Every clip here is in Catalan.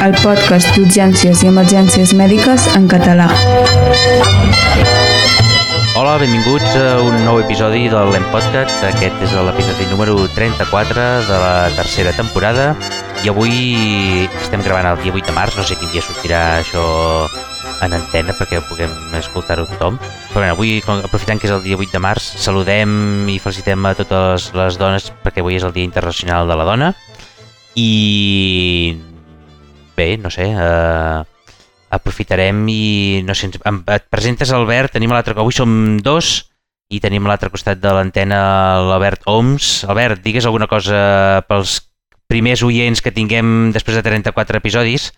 el podcast d'urgències i emergències mèdiques en català. Hola, benvinguts a un nou episodi del LEM Podcast. Aquest és l'episodi número 34 de la tercera temporada i avui estem gravant el dia 8 de març. No sé quin dia sortirà això en antena perquè puguem escoltar-ho tothom. Però bé, avui, aprofitant que és el dia 8 de març, saludem i felicitem a totes les dones perquè avui és el Dia Internacional de la Dona. I bé, no sé, aprofitarem i no sé, et presentes, Albert. Tenim a l'altre, avui som dos i tenim a l'altre costat de l'antena l'Albert Oms. Albert, digues alguna cosa pels primers oients que tinguem després de 34 episodis,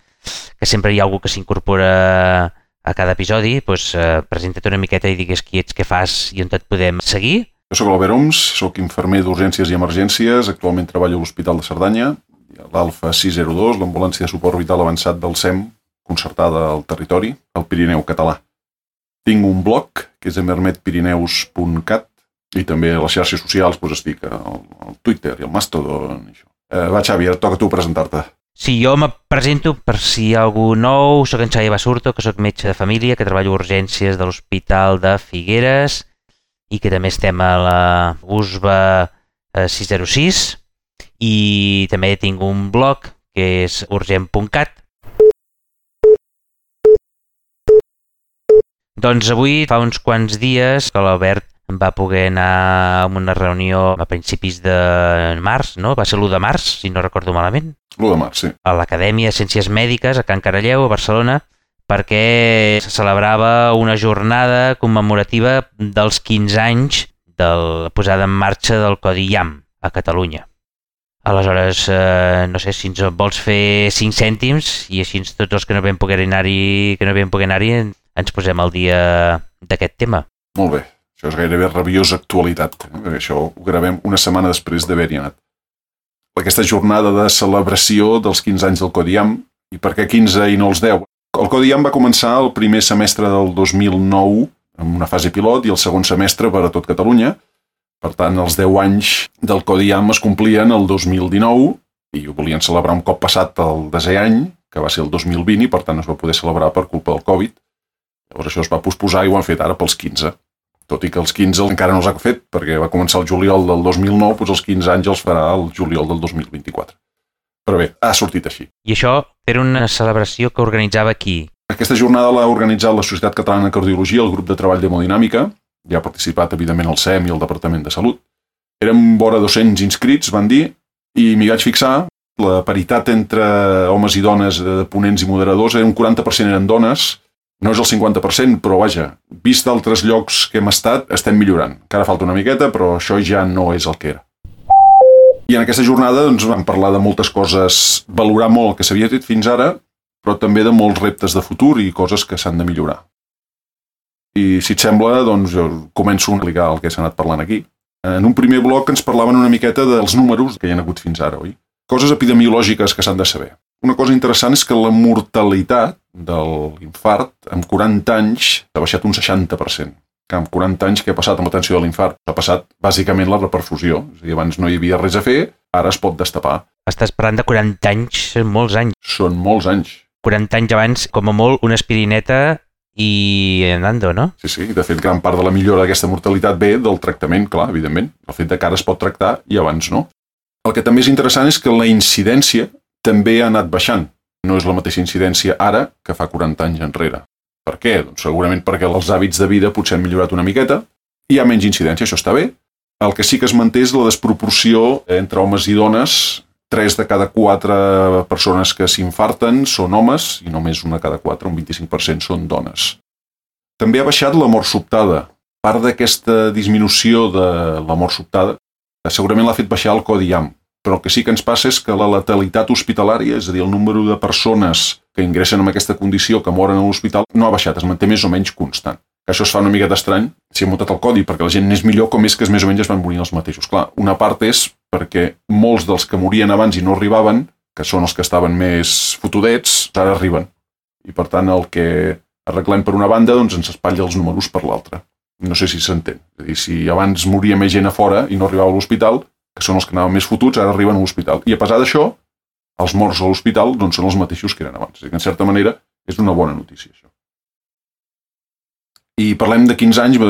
que sempre hi ha algú que s'incorpora a cada episodi. Doncs presenta't una miqueta i digues qui ets, què fas i on et podem seguir. Jo soc l'Albert Oms, soc infermer d'urgències i emergències, actualment treballo a l'Hospital de Cerdanya, l'Alfa 602, l'ambulància de suport vital avançat del SEM, concertada al territori, al Pirineu català. Tinc un blog, que és emermetpirineus.cat, i també a les xarxes socials estic al Twitter i al Mastodon. Va, Xavi, ara toca tu presentar-te. Sí, jo me presento per si hi ha algú nou. Soc en Xavi Basurto, que soc metge de família, que treballo a urgències de l'Hospital de Figueres i que també estem a la USBA 606, i també tinc un blog que és urgent.cat. Doncs avui fa uns quants dies que l'Albert va poder anar a una reunió a principis de març, no? Va ser l'1 de març, si no recordo malament. L'1 de març, sí. A l'Acadèmia de Ciències Mèdiques a Can Caralleu, a Barcelona, perquè se celebrava una jornada commemorativa dels 15 anys de la posada en marxa del Codi IAM a Catalunya. Aleshores, no sé si ens vols fer 5 cèntims i així tots els que no vam poder anar-hi, ens posem al dia d'aquest tema. Molt bé, això és gairebé rabiosa actualitat, perquè això ho gravem una setmana després d'haver-hi anat. Aquesta jornada de celebració dels 15 anys del Codi IAM, i per què 15 i no els 10? El Codi IAM va començar el primer semestre del 2009 amb una fase pilot i el segon semestre per a tot Catalunya. Per tant, els 10 anys del Codi IAM es complien el 2019 i ho volien celebrar un cop passat el desè any, que va ser el 2020, i per tant es va poder celebrar per culpa del Covid. Llavors això es va posposar i ho han fet ara pels 15. Tot i que els 15 encara no els ha fet, perquè va començar el juliol del 2009, doncs els 15 anys els farà el juliol del 2024. Però bé, ha sortit així. I això era una celebració que organitzava qui? Aquesta jornada l'ha organitzat la Societat Catalana de Cardiologia, el grup de treball d'hemodinàmica. Hi ha participat, evidentment, el SEM i el Departament de Salut. Érem vora 200 inscrits, van dir, i m'hi vaig fixar. La paritat entre homes i dones de ponents i moderadors, un 40% eren dones. No és el 50%, però vaja, vist d'altres llocs que hem estat, estem millorant. Encara falta una miqueta, però això ja no és el que era. I en aquesta jornada vam parlar de moltes coses, valorar molt el que s'havia fet fins ara, però també de molts reptes de futur i coses que s'han de millorar. I si et sembla, doncs jo començo a explicar el que s'ha anat parlant aquí. En un primer bloc ens parlaven una miqueta dels números que hi ha hagut fins ara, oi? Coses epidemiològiques que s'han de saber. Una cosa interessant és que la mortalitat de l'infart amb 40 anys ha baixat un 60%. Que amb 40 anys què ha passat amb l'atenció de l'infart? Ha passat bàsicament la reperfusió. És a dir, abans no hi havia res a fer, ara es pot destapar. Estàs parlant de 40 anys, són molts anys. Són molts anys. 40 anys abans, com a molt, una aspirineta i andando, no? Sí, de fet, gran part de la millora d'aquesta mortalitat ve del tractament, clar, evidentment. El fet que ara es pot tractar i abans no. El que també és interessant és que la incidència també ha anat baixant. No és la mateixa incidència ara que fa 40 anys enrere. Per què? Doncs segurament perquè els hàbits de vida potser han millorat una miqueta, hi ha menys incidència, això està bé. El que sí que es manté és la desproporció entre homes i dones. 3 de cada 4 persones que s'infarten són homes i només una cada 4, un 25%, són dones. També ha baixat la mort sobtada. Part d'aquesta disminució de la mort sobtada segurament l'ha fet baixar el Codi IAM, però el que sí que ens passa és que la letalitat hospitalària, és a dir, el número de persones que ingressen amb aquesta condició que moren a l'hospital, no ha baixat, es manté més o menys constant. Que això es fa una miqueta estrany si hem muntat el codi, perquè la gent n'és millor com és que més o menys es van morir els mateixos. Clar, una part és perquè molts dels que morien abans i no arribaven, que són els que estaven més fotudets, ara arriben. I per tant el que arreglem per una banda doncs ens espatlla els números per l'altra. No sé si s'entén. És a dir, si abans moria més gent a fora i no arribava a l'hospital, que són els que anaven més fotuts, ara arriben a l'hospital. I a pesar d'això, els morts a l'hospital doncs, són els mateixos que eren abans. És que, en certa manera, és una bona notícia, això. I parlem de 15 anys,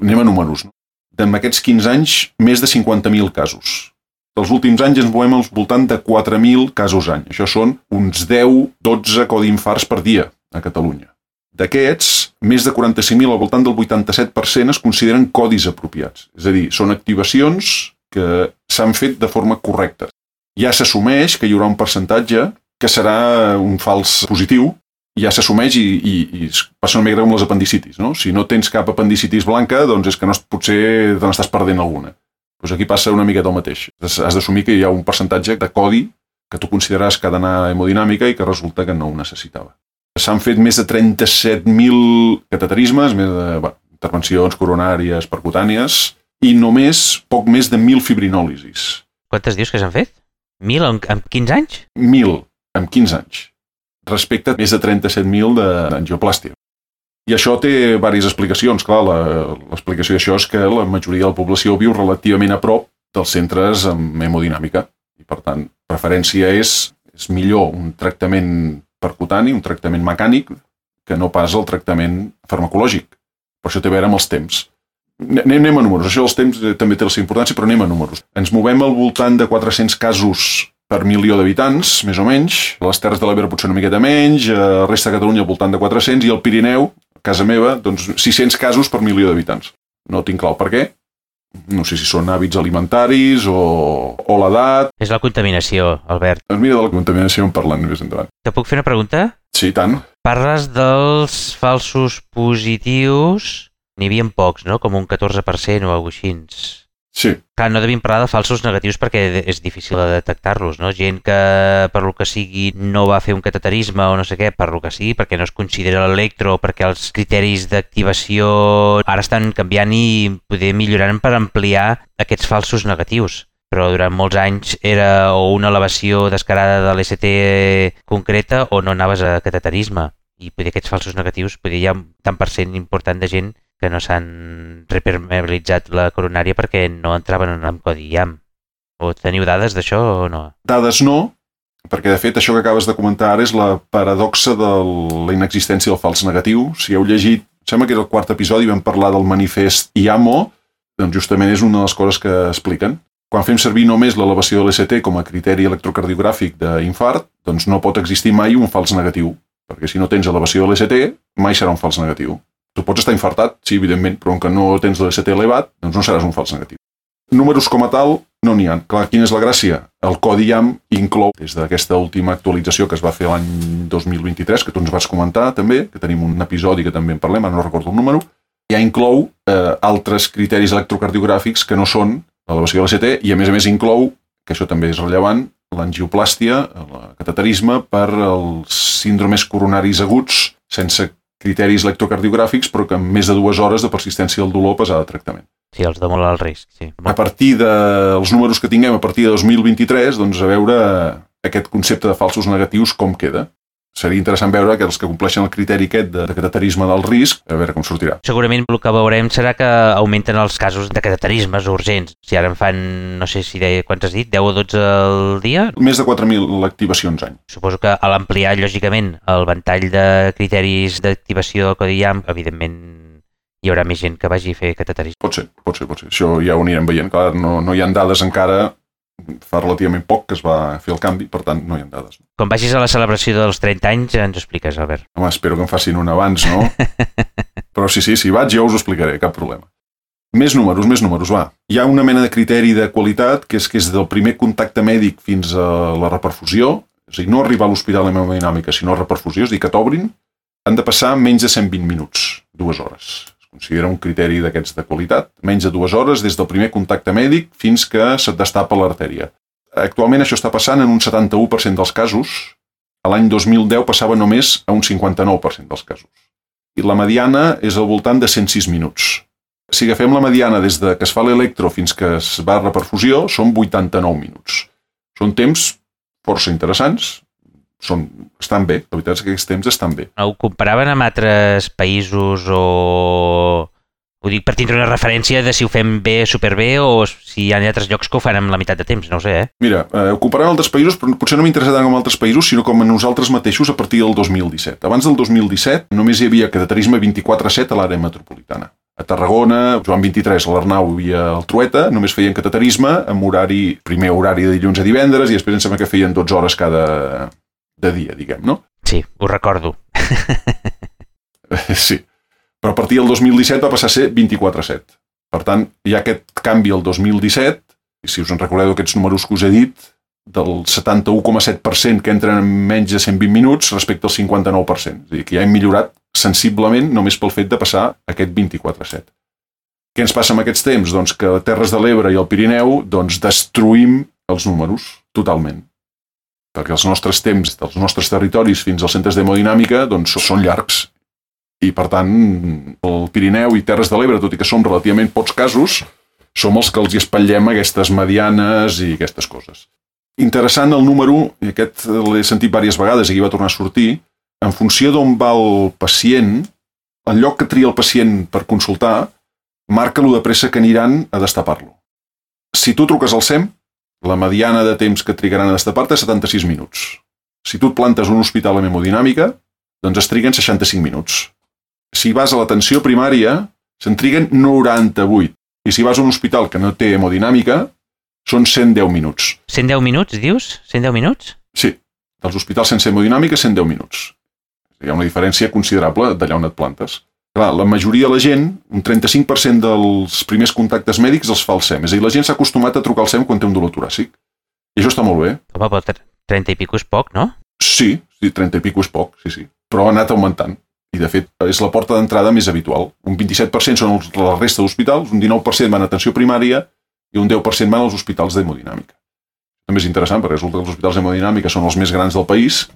anem a números. No? En aquests 15 anys, més de 50.000 casos. Els últims anys ens movem al voltant de 4.000 casos any. Això són uns 10-12 codi infarts per dia a Catalunya. D'aquests, més de 45.000, al voltant del 87%, es consideren codis apropiats. És a dir, són activacions que s'han fet de forma correcta. Ja s'assumeix que hi haurà un percentatge que serà un fals positiu, ja s'assumeix i passa una mica com les apendicitis. No? Si no tens cap apendicitis blanca, doncs és que no, potser te n'estàs perdent alguna. Doncs aquí passa una miqueta el mateix. Has d'assumir que hi ha un percentatge de codi que tu consideraràs que ha d'anar a hemodinàmica i que resulta que no ho necessitava. S'han fet més de 37.000 cateterismes, més de intervencions coronàries, percutànies, i només poc més de 1.000 fibrinòlisis. Quantes dius que s'han fet? 1.000 en 15 anys? 1.000 en 15 anys, respecte a més de 37.000 d'angioplàstia. I això té diverses explicacions. Clar, l'explicació d'això és que la majoria de la població viu relativament a prop dels centres amb hemodinàmica. I, per tant, preferència és millor un tractament percutani, un tractament mecànic, que no pas el tractament farmacològic. Per això té a veure amb els temps. Anem a números. Això dels temps també té la seva importància, però anem a números. Ens movem al voltant de 400 casos per milió d'habitants, més o menys. A les Terres de l'Ebre potser una miqueta menys, a la resta de Catalunya al voltant de 400, i al Pirineu, a casa meva, doncs 600 casos per milió d'habitants. No tinc clar el per què. No sé si són hàbits alimentaris o l'edat. És la contaminació, Albert. Doncs mira, de la contaminació en parlant més endavant. Te puc fer una pregunta? Sí, tant. Parles dels falsos positius. N'hi havia pocs, no? Com un 14% o alguna cosa així. Sí. Clar, no devim parlar de falsos negatius perquè és difícil de detectar-los, no? Gent que, per lo que sigui, no va fer un cateterisme o no sé què, per lo que sigui, perquè no es considera l'electro, perquè els criteris d'activació ara estan canviant i poder millorant per ampliar aquests falsos negatius. Però durant molts anys era o una elevació descarada de l'ST concreta o no anaves a cateterisme. I poder aquests falsos negatius, poder hi ha un tant per cent important de gent que no s'han repermeabilitzat la coronària perquè no entraven en el codi IAM. O teniu dades d'això o no? Dades no, perquè de fet això que acabes de comentar ara és la paradoxa de la inexistència del fals negatiu. Si heu llegit, sembla que era el quart episodi, vam parlar del manifest IAMO, doncs justament és una de les coses que expliquen. Quan fem servir només l'elevació de l'ST com a criteri electrocardiogràfic d'infart, doncs no pot existir mai un fals negatiu, perquè si no tens elevació de l'ST, mai serà un fals negatiu. Tu pots estar infartat, sí, evidentment, però que no tens l'ST elevat, doncs no seràs un fals negatiu. Números com a tal no n'hi ha. Clar, quina és la gràcia? El codi IAM inclou, des d'aquesta última actualització que es va fer l'any 2023, que tu ens vas comentar també, que tenim un episodi que també en parlem, ara no recordo el número, ja inclou altres criteris electrocardiogràfics que no són l'elevació de l'ST i a més inclou, que això també és rellevant, l'angioplàstia, el cateterisme per als síndromes coronaris aguts sense criteris electrocardiogràfics, però que amb més de 2 hores de persistència del dolor pesada de tractament. Sí, els de molt alt risc, sí. A partir dels números que tinguem a partir de 2023, doncs a veure aquest concepte de falsos negatius com queda. Seria interessant veure que els que compleixen el criteri aquest de cateterisme del risc, a veure com sortirà. Segurament el que veurem serà que augmenten els casos de cateterismes urgents. Si ara en fan, no sé si quants has dit, 10 o 12 al dia? Més de 4.000 activacions any. Suposo que a l'ampliar, lògicament, el ventall de criteris d'activació del codi IAM, evidentment hi haurà més gent que vagi a fer cateterisme. Pot ser. Això ja ho anirem veient. Clar, no hi ha dades encara. Fa relativament poc que es va fer el canvi, per tant, no hi ha dades. Quan vagis a la celebració dels 30 anys, ens ho expliques, Albert. Home, espero que em facin un abans, no? Però sí, si vaig jo us ho explicaré, cap problema. Més números, va. Hi ha una mena de criteri de qualitat que és del primer contacte mèdic fins a la reperfusió, és a dir, no arribar a l'hospital amb hemodinàmica, sinó a reperfusió, és a dir, que t'obrin, han de passar menys de 120 minuts, 2 hores. Considera un criteri d'aquests de qualitat, menys de 2 hores des del primer contacte mèdic fins que se't destapa l'artèria. Actualment això està passant en un 71% dels casos, a l'any 2010 passava només a un 59% dels casos. I la mediana és al voltant de 106 minuts. Si agafem la mediana des de que es fa l'electro fins que es va a reperfusió, són 89 minuts. Són temps força interessants, estan bé, la veritat és que aquests temps estan bé. Ho comparaven amb altres països o Ho dic per tindre una referència de si ho fem bé, superbé, o si hi ha altres llocs que ho fan amb la meitat de temps, no ho sé, Mira, ho comparem amb altres països, però potser no m'interessa tant com altres països, sinó com a nosaltres mateixos a partir del 2017. Abans del 2017 només hi havia cateterisme 24/7 a l'àrea metropolitana. A Tarragona, Joan 23, a l'Arnau i al Trueta només feien cateterisme amb primer horari de dilluns a divendres i després em sembla que feien 12 hores cada dia, diguem, no? Sí, ho recordo. Sí. Però a partir del 2017 va passar a ser 24/7. Per tant, hi ha aquest canvi el 2017, i si us en recordeu aquests números que us he dit, del 71,7% que entren en menys de 120 minuts respecte al 59%. És a dir, que ja hem millorat sensiblement només pel fet de passar aquest 24/7. Què ens passa amb aquests temps? Doncs que a Terres de l'Ebre i el Pirineu destruïm els números totalment. Perquè els nostres temps dels nostres territoris fins als centres d'hemodinàmica són llargs. I, per tant, el Pirineu i Terres de l'Ebre, tot i que som relativament pocs casos, som els que els hi espatllem aquestes medianes i aquestes coses. Interessant el número, i aquest l'he sentit diverses vegades i aquí va tornar a sortir, en funció d'on va el pacient, el lloc que tria el pacient per consultar, marca lo de pressa que aniran a destapar-lo. Si tu truques al SEM, la mediana de temps que trigaran a destapar-te és 76 minuts. Si tu et plantes a un hospital amb hemodinàmica, doncs es triguen 65 minuts. Si vas a l'atenció primària, se'n triguen 98. I si vas a un hospital que no té hemodinàmica, són 110 minuts. 110 minuts, dius? 110 minuts? Sí, dels hospitals sense hemodinàmica, 110 minuts. Hi ha una diferència considerable d'allà on et plantes. Clar, la majoria de la gent, un 35% dels primers contactes mèdics els fa el SEM. És a dir, la gent s'ha acostumat a trucar al SEM quan té un dolor toràcic. I això està molt bé. Home, però 30 i pico és poc, no? Sí, 30 i pico és poc, sí. Però ha anat augmentant. I, de fet, és la porta d'entrada més habitual. Un 27% són la resta d'hospitals, un 19% van a atenció primària i un 10% van als hospitals d'hemodinàmica. També és interessant, perquè resulta que els hospitals d'hemodinàmica són els més grans del país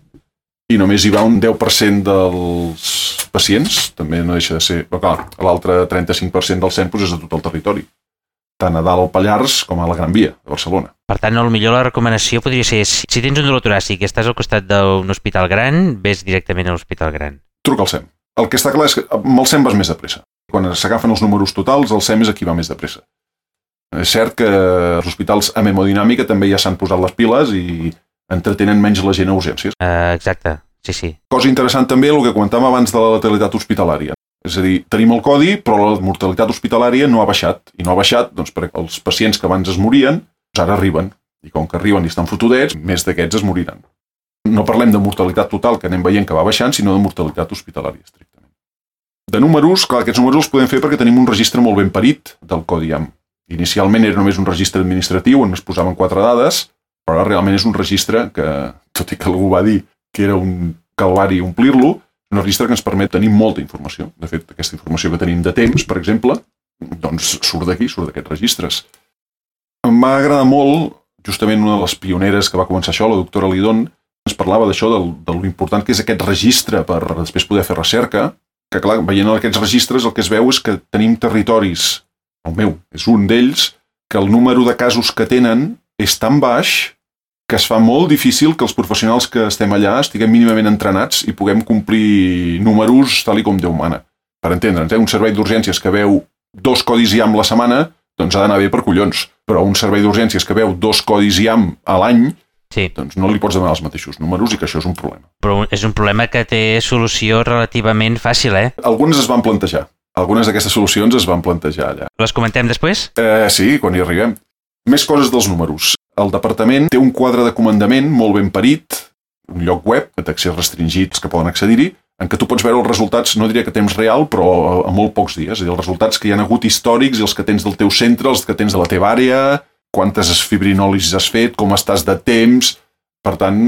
i només hi va un 10% dels pacients, també no deixa de ser... Però clar, l'altre 35% del SEM és de tot el territori, tant a dalt al Pallars com a la Gran Via, de Barcelona. Per tant, millor la recomanació podria ser, si tens un dolor toràcic i estàs al costat d'un hospital gran, ves directament a l'hospital gran. Truca al SEM. El que està clar és que amb el SEM vas més de pressa. Quan s'agafen els números totals, el SEM és qui va més de pressa. És cert que els hospitals amb hemodinàmica també ja s'han posat les piles i entretenen menys la gent a urgències. Exacte, sí. Cosa interessant també el que comentàvem abans de la letalitat hospitalària. És a dir, tenim el codi, però la mortalitat hospitalària no ha baixat. I no ha baixat doncs, perquè els pacients que abans es morien, ara arriben. I com que arriben i estan fotudets, més d'aquests es moriran. No parlem de mortalitat total, que anem veient que va baixant, sinó de mortalitat hospitalària, estrictament. De números, clar, aquests números els podem fer perquè tenim un registre molt ben parit del codi IAM. Inicialment era només un registre administratiu on es posaven 4 dades, però ara realment és un registre que, tot i que algú va dir que era un calvari omplir-lo, és un registre que ens permet tenir molta informació. De fet, aquesta informació que tenim de temps, per exemple, doncs surt d'aquí, surt d'aquests registres. Em va agradar molt, justament una de les pioneres que va començar això, la doctora Lidón, ens parlava d'això, de l'important que és aquest registre per després poder fer recerca, que clar, veient aquests registres el que es veu és que tenim territoris, el meu és un d'ells, que el número de casos que tenen és tan baix que es fa molt difícil que els professionals que estem allà estiguem mínimament entrenats i puguem complir números tal com Déu mana. Per entendre'ns, un servei d'urgències que veu 2 codis IAM la setmana, doncs ha d'anar bé per collons. Però un servei d'urgències que veu 2 codis IAM a l'any, doncs no li pots demanar els mateixos números i que això és un problema. Però és un problema que té solució relativament fàcil, Algunes es van plantejar. Algunes d'aquestes solucions es van plantejar allà. Les comentem després? Sí, quan hi arribem. Més coses dels números. El departament té un quadre de comandament molt ben parit, un lloc web d'accés restringits que poden accedir-hi, en què tu pots veure els resultats, no diria que a temps real, però a molt pocs dies. És a dir, els resultats que hi ha hagut històrics i els que tens del teu centre, els que tens de la teva àrea, quantes fibrinòlisis has fet, com estàs de temps... Per tant,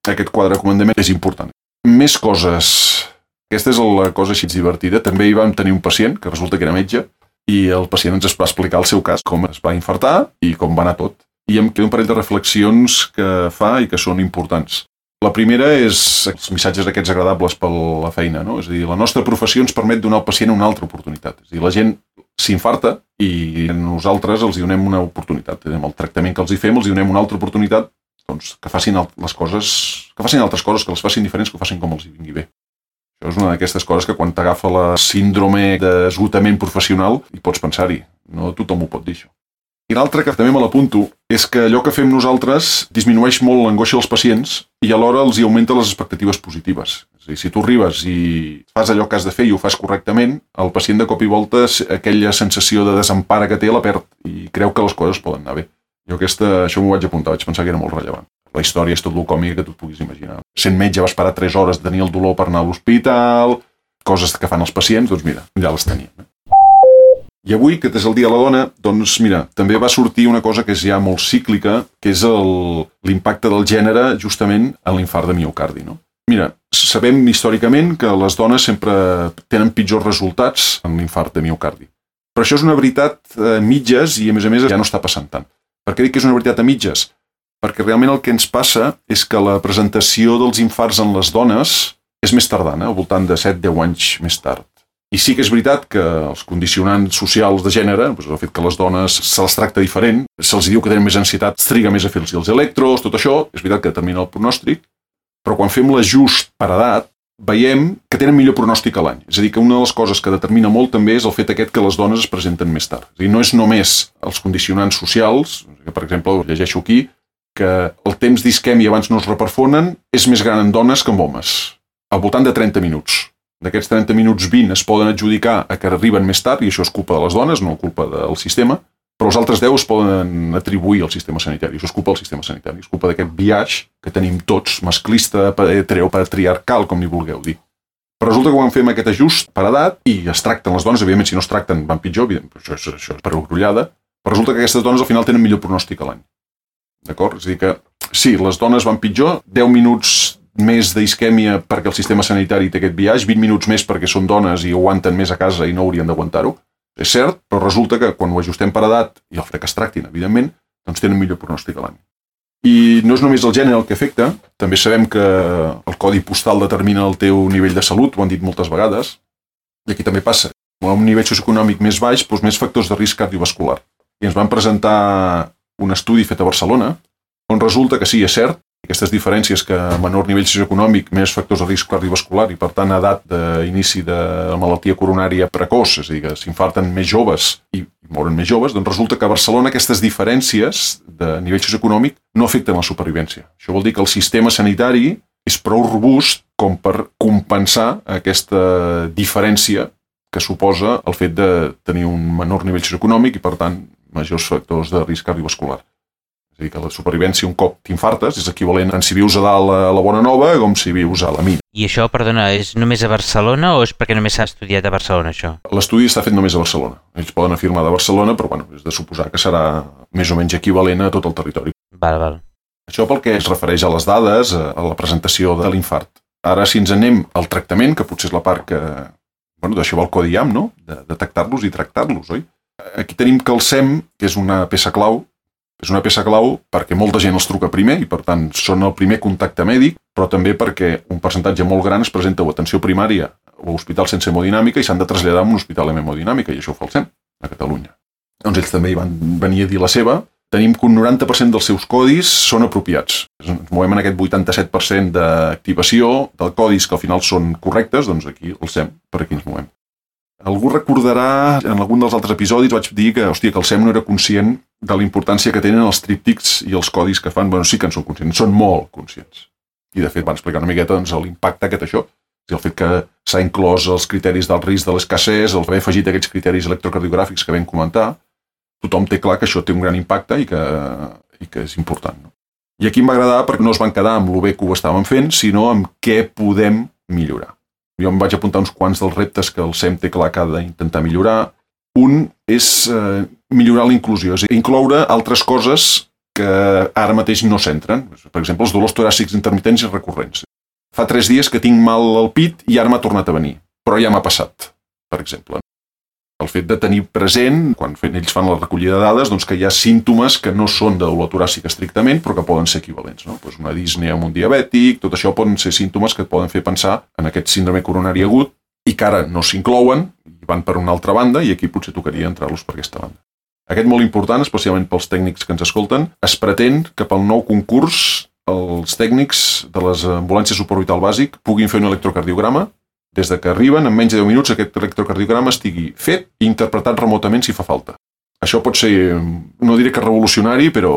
aquest quadre de comandament és important. Més coses. Aquesta és la cosa així divertida. També hi vam tenir un pacient, que resulta que era metge, i el pacient ens va explicar el seu cas, com es va infartar i com va anar tot. I em queda un parell de reflexions que fa i que són importants. La primera és els missatges aquests agradables per la feina, no? És a dir, la nostra professió ens permet donar al pacient una altra oportunitat. És a dir, la gent s'infarta i nosaltres els donem una oportunitat. Amb el tractament que els hi fem, els donem una altra oportunitat doncs, que facin les coses, que facin altres coses, que les facin diferents, que ho facin com els hi vingui bé. Això és una d'aquestes coses que quan t'agafa la síndrome d'esgotament professional hi pots pensar-hi. No tothom ho pot dir, això. I l'altre que també me l'apunto és que allò que fem nosaltres disminueix molt l'angoixa dels pacients i alhora els hi augmenta les expectatives positives. És a dir, si tu arribes i fas allò que has de fer i ho fas correctament, el pacient de cop i volta aquella sensació de desempara que té la perd i creu que les coses poden anar bé. Jo això m'ho vaig apuntar, vaig pensar que era molt rellevant. La història és tot el còmic que tu et puguis imaginar. Sent metge va esperar 3 hores de tenir el dolor per anar a l'hospital, coses que fan els pacients, doncs mira, ja les teníem. I avui, que és el Dia de la Dona, doncs mira, també va sortir una cosa que és ja molt cíclica, que és l'impacte del gènere justament en l'infart de miocardi, no? Mira, sabem històricament que les dones sempre tenen pitjors resultats en l'infart de miocardi. Però això és una veritat a mitges i a més ja no està passant tant. Per què dic que és una veritat a mitges? Perquè realment el que ens passa és que la presentació dels infarts en les dones és més tardana, al voltant de 7-10 anys més tard. I sí que és veritat que els condicionants socials de gènere, el fet que les dones se les tracta diferent, se'ls diu que tenen més ansietat, es triga més a fer els electros, tot això, és veritat que determina el pronòstic, però quan fem l'ajust per edat, veiem que tenen millor pronòstic a l'any. És a dir, que una de les coses que determina molt també és el fet aquest que les dones es presenten més tard. És a dir, no és només els condicionants socials, que per exemple, llegeixo aquí, que el temps d'isquèmia abans no es reperfonen és més gran en dones que en homes, al voltant de 30 minuts. D'aquests 30 minuts 20 es poden adjudicar a que arriben més tard, i això és culpa de les dones, no culpa del sistema, però els altres 10 es poden atribuir al sistema sanitari. Això és culpa del sistema sanitari, és culpa d'aquest biaix que tenim tots, masclista, heteropatriarcal, com ni vulgueu dir. Però resulta que quan fem aquest ajust per edat, i es tracten les dones, evidentment si no es tracten van pitjor, això és per orgullada, però resulta que aquestes dones al final tenen millor pronòstic a l'any. D'acord? És a dir que, sí, les dones van pitjor, 10 minuts més d'isquèmia perquè el sistema sanitari té aquest biaix, 20 minuts més perquè són dones i aguanten més a casa i no haurien d'aguantar-ho. És cert, però resulta que quan ho ajustem per edat, i el fet que es tractin, evidentment, doncs tenen millor pronòstic a l'any. I no és només el gènere el que afecta, també sabem que el codi postal determina el teu nivell de salut, ho han dit moltes vegades, i aquí també passa. A un nivell socioeconòmic més baix, doncs més factors de risc cardiovascular. I ens van presentar un estudi fet a Barcelona, on resulta que sí, és cert, aquestes diferències que a menor nivell socioeconòmic, més factors de risc cardiovascular i, per tant, edat d'inici de la malaltia coronària precoç, és a dir, que s'infarten més joves i moren més joves, doncs resulta que a Barcelona aquestes diferències de nivell socioeconòmic no afecten la supervivència. Això vol dir que el sistema sanitari és prou robust com per compensar aquesta diferència que suposa el fet de tenir un menor nivell socioeconòmic i, per tant, majors factors de risc cardiovascular. És a dir, que la supervivència un cop t'infartes és equivalent a si vius a dalt a la Bona Nova com si vius a la mina. I això, perdona, és només a Barcelona o és perquè només s'ha estudiat a Barcelona, això? L'estudi està fet només a Barcelona. Ells poden afirmar de Barcelona, però bueno, és de suposar que serà més o menys equivalent a tot el territori. Val. Això pel que es refereix a les dades, a la presentació de l'infart. Ara, si ens anem al tractament, que potser és la part que... Bueno, d'això va el codi IAM, no? De detectar-los i tractar-los, oi? Aquí tenim que el SEM, que és una peça clau, perquè molta gent els truca primer i, per tant, són el primer contacte mèdic, però també perquè un percentatge molt gran es presenta a atenció primària o a hospital sense hemodinàmica i s'han de traslladar a un hospital amb hemodinàmica, i això ho fa el SEM, a Catalunya. Doncs ells també hi van venir a dir la seva. Tenim que un 90% dels seus codis són apropiats. Ens movem en aquest 87% d'activació de codis que al final són correctes, doncs aquí el SEM, per aquí ens movem. Algú recordarà, en algun dels altres episodis vaig dir que el SEM no era conscient de la importància que tenen els tríptics i els codis que fan. Bueno, sí que en són conscients, són molt conscients. I de fet van explicar una miqueta l'impacte que té això. El fet que s'ha inclòs els criteris del risc de l'escassez, el haver afegit aquests criteris electrocardiogràfics que vam comentar, tothom té clar que això té un gran impacte i que és important. No? I aquí em va agradar perquè no es van quedar amb lo bé que ho estàvem fent, sinó amb què podem millorar. Jo em vaig apuntar uns quants dels reptes que el SEM té clar que ha d'intentar millorar. Un és millorar la inclusió, és a dir, incloure altres coses que ara mateix no s'entren. Per exemple, els dolors toràcics intermitents i recurrents. Fa 3 dies que tinc mal al pit i ara m'ha tornat a venir, però ja m'ha passat, per exemple. El fet de tenir present, quan ells fan la recollida de dades, doncs que hi ha símptomes que no són de dolor toràcic estrictament, però que poden ser equivalents. No? Pues una disnea amb un diabètic, tot això poden ser símptomes que et poden fer pensar en aquest síndrome coronari agut i que ara no s'inclouen i van per una altra banda i aquí potser tocaria entrar-los per aquesta banda. Aquest molt important, especialment pels tècnics que ens escolten, es pretén que pel nou concurs els tècnics de les ambulàncies suborbital bàsic puguin fer un electrocardiograma des de que arriben, en menys de 10 minuts, aquest electrocardiograma estigui fet i interpretat remotament si fa falta. Això pot ser, no diré que revolucionari, però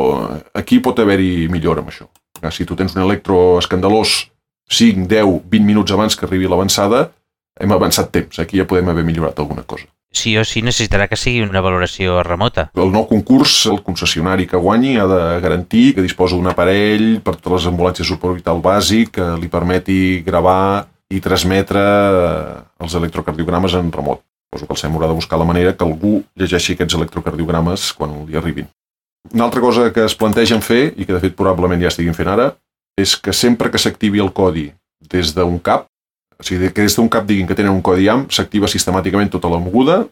aquí pot haver-hi millora amb això. Si tu tens un electro escandalós 5, 10, 20 minuts abans que arribi l'avançada, hem avançat temps. Aquí ja podem haver millorat alguna cosa. Sí o sí necessitarà que sigui una valoració remota. El nou concurs, el concessionari que guanyi ha de garantir que disposa d'un aparell per totes les ambulàncies suborbital bàsic que li permeti gravar i transmetre els electrocardiogrames en remot. Suposo que el SEM haurà de buscar la manera que algú llegeixi aquests electrocardiogrames quan li arribin. Una altra cosa que es plantegen fer, i que de fet probablement ja estiguin fent ara, és que sempre que s'activi el codi des d'un CAP, o sigui, que des d'un CAP diguin que tenen un codi IAM, s'activa sistemàticament tota la moguda,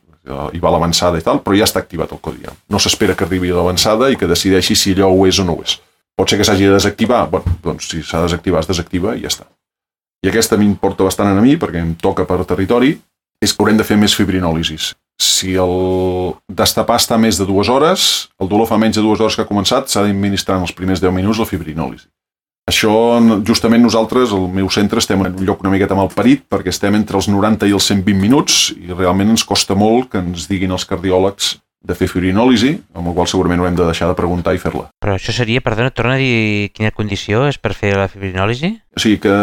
i va l'avançada i tal, però ja està activat el codi IAM. No s'espera que arribi l'avançada i que decideixi si allò ho és o no ho és. Pot ser que s'hagi de desactivar, bueno, doncs si s'ha de desactivar, es desactiva i ja està. I aquesta m'importa bastant a mi, perquè em toca per territori, és que haurem de fer més fibrinòlisis. Si el destapar està més de 2 hores, el dolor fa menys de 2 hores que ha començat, s'ha d'administrar en els primers 10 minuts la fibrinòlisi. Això, justament nosaltres, al meu centre, estem en un lloc una miqueta malparit, perquè estem entre els 90 i els 120 minuts, i realment ens costa molt que ens diguin els cardiòlegs de fer fibrinòlisi, amb el qual segurament haurem de deixar de preguntar i fer-la. Però això seria, perdona, torna a dir quina condició és per fer la fibrinòlisi? O sigui que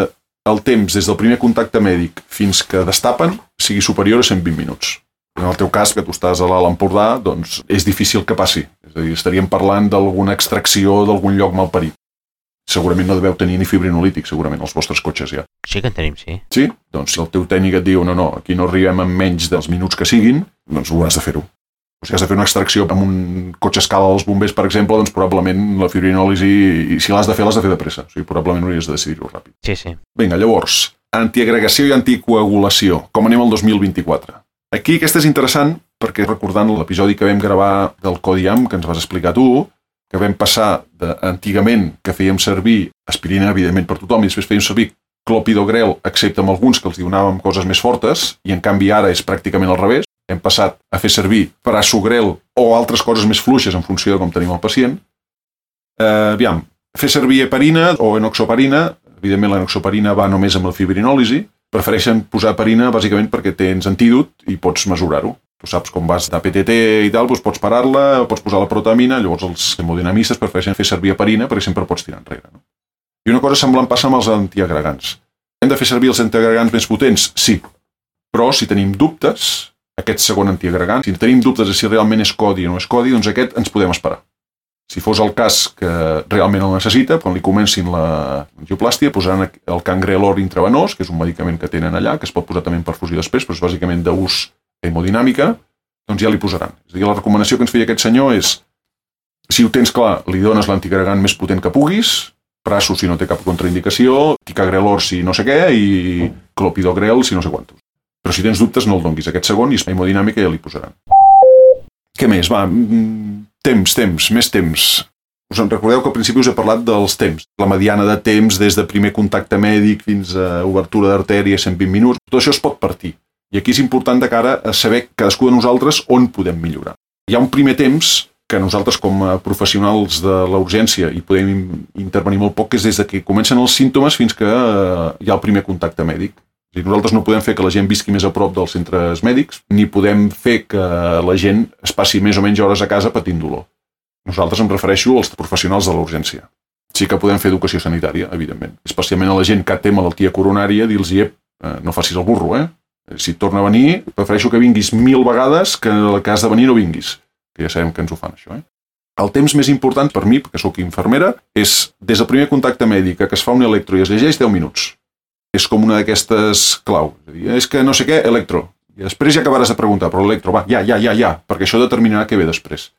el temps des del primer contacte mèdic fins que destapen sigui superior a 120 minuts. En el teu cas, que tu estàs a l'Alt Empordà, doncs és difícil que passi. És a dir, estaríem parlant d'alguna extracció d'algun lloc malparit. Segurament no deveu tenir ni fibrinolític, segurament, els vostres cotxes ja. Sí que en tenim, sí. Sí? Doncs si el teu tècnic et diu no, aquí no arribem en menys dels minuts que siguin, doncs ho has de fer-ho. O sigui, has de fer una extracció amb un cotxe escala dels bombers, per exemple, doncs probablement la fibrinòlisi, i si l'has de fer de pressa. O sigui, probablement hauries de decidir-ho ràpid. Sí, sí. Vinga, llavors, antiagregació i anticoagulació. Com anem al 2024? Aquí aquesta és interessant perquè recordant l'episodi que vam gravar del Codi IAM, que ens vas explicar tu, que vam passar d'antigament que fèiem servir aspirina, evidentment, per tothom, i després fèiem servir clopidogrel, excepte amb alguns que els donàvem coses més fortes, i en canvi ara és pràcticament al revés. Hem passat a fer servir prasugrel o altres coses més fluixes en funció de com tenim el pacient. Aviam, fer servir heparina o enoxaparina, evidentment l'enoxaparina va només amb la fibrinòlisi, prefereixen posar heparina bàsicament perquè tens antídot i pots mesurar-ho. Tu saps com vas de PTT i tal, doncs pots parar-la, pots posar la protamina, llavors els hemodinamistes prefereixen fer servir heparina perquè sempre pots tirar enrere. No? I una cosa semblant passa amb els antiagregants. Hem de fer servir els antiagregants més potents? Sí, però si tenim dubtes, aquest segon antiagregant, si tenim dubtes de si realment és codi o no és codi, doncs aquest ens podem esperar. Si fos el cas que realment el necessita, quan li comencin l'angioplàstia, posaran el cangrelor intravenós, que és un medicament que tenen allà, que es pot posar també en perfusió després, però és bàsicament d'ús hemodinàmica, doncs ja li posaran. És a dir, la recomanació que ens feia aquest senyor és, si ho tens clar, li dones l'antiagregant més potent que puguis, praso si no té cap contraindicació, ticagrelor si no sé què, i clopidogrel si no sé quantos. Però si tens dubtes no el donguis. Aquest segon i hemodinàmica ja li posaran. Què més? Va, més temps. Us en recordeu que al principi us he parlat dels temps. La mediana de temps des de primer contacte mèdic fins a obertura d'artèria 120 minuts. Tot això es pot partir. I aquí és important de cara a saber cadascú de nosaltres on podem millorar. Hi ha un primer temps que nosaltres com a professionals de la urgència hi podem intervenir molt poc, que és des que comencen els símptomes fins que hi ha el primer contacte mèdic. Nosaltres no podem fer que la gent visqui més a prop dels centres mèdics, ni podem fer que la gent es passi més o menys hores a casa patint dolor. Nosaltres em refereixo als professionals de la urgència. Sí que podem fer educació sanitària, evidentment. Especialment a la gent que té malaltia coronària, dir-los, no facis el burro, Si et torna a venir, prefereixo que vinguis 1000 vegades que el cas de venir no vinguis. Que ja sabem que ens ho fan, això, El temps més important per mi, perquè sóc infermera, és des del primer contacte mèdic que es fa un electro i es llegeix 10 minuts. És com una d'aquestes clau. És que no sé què, electro. I després ja acabaràs de preguntar, però electro, va, ja, perquè això determinarà què ve després.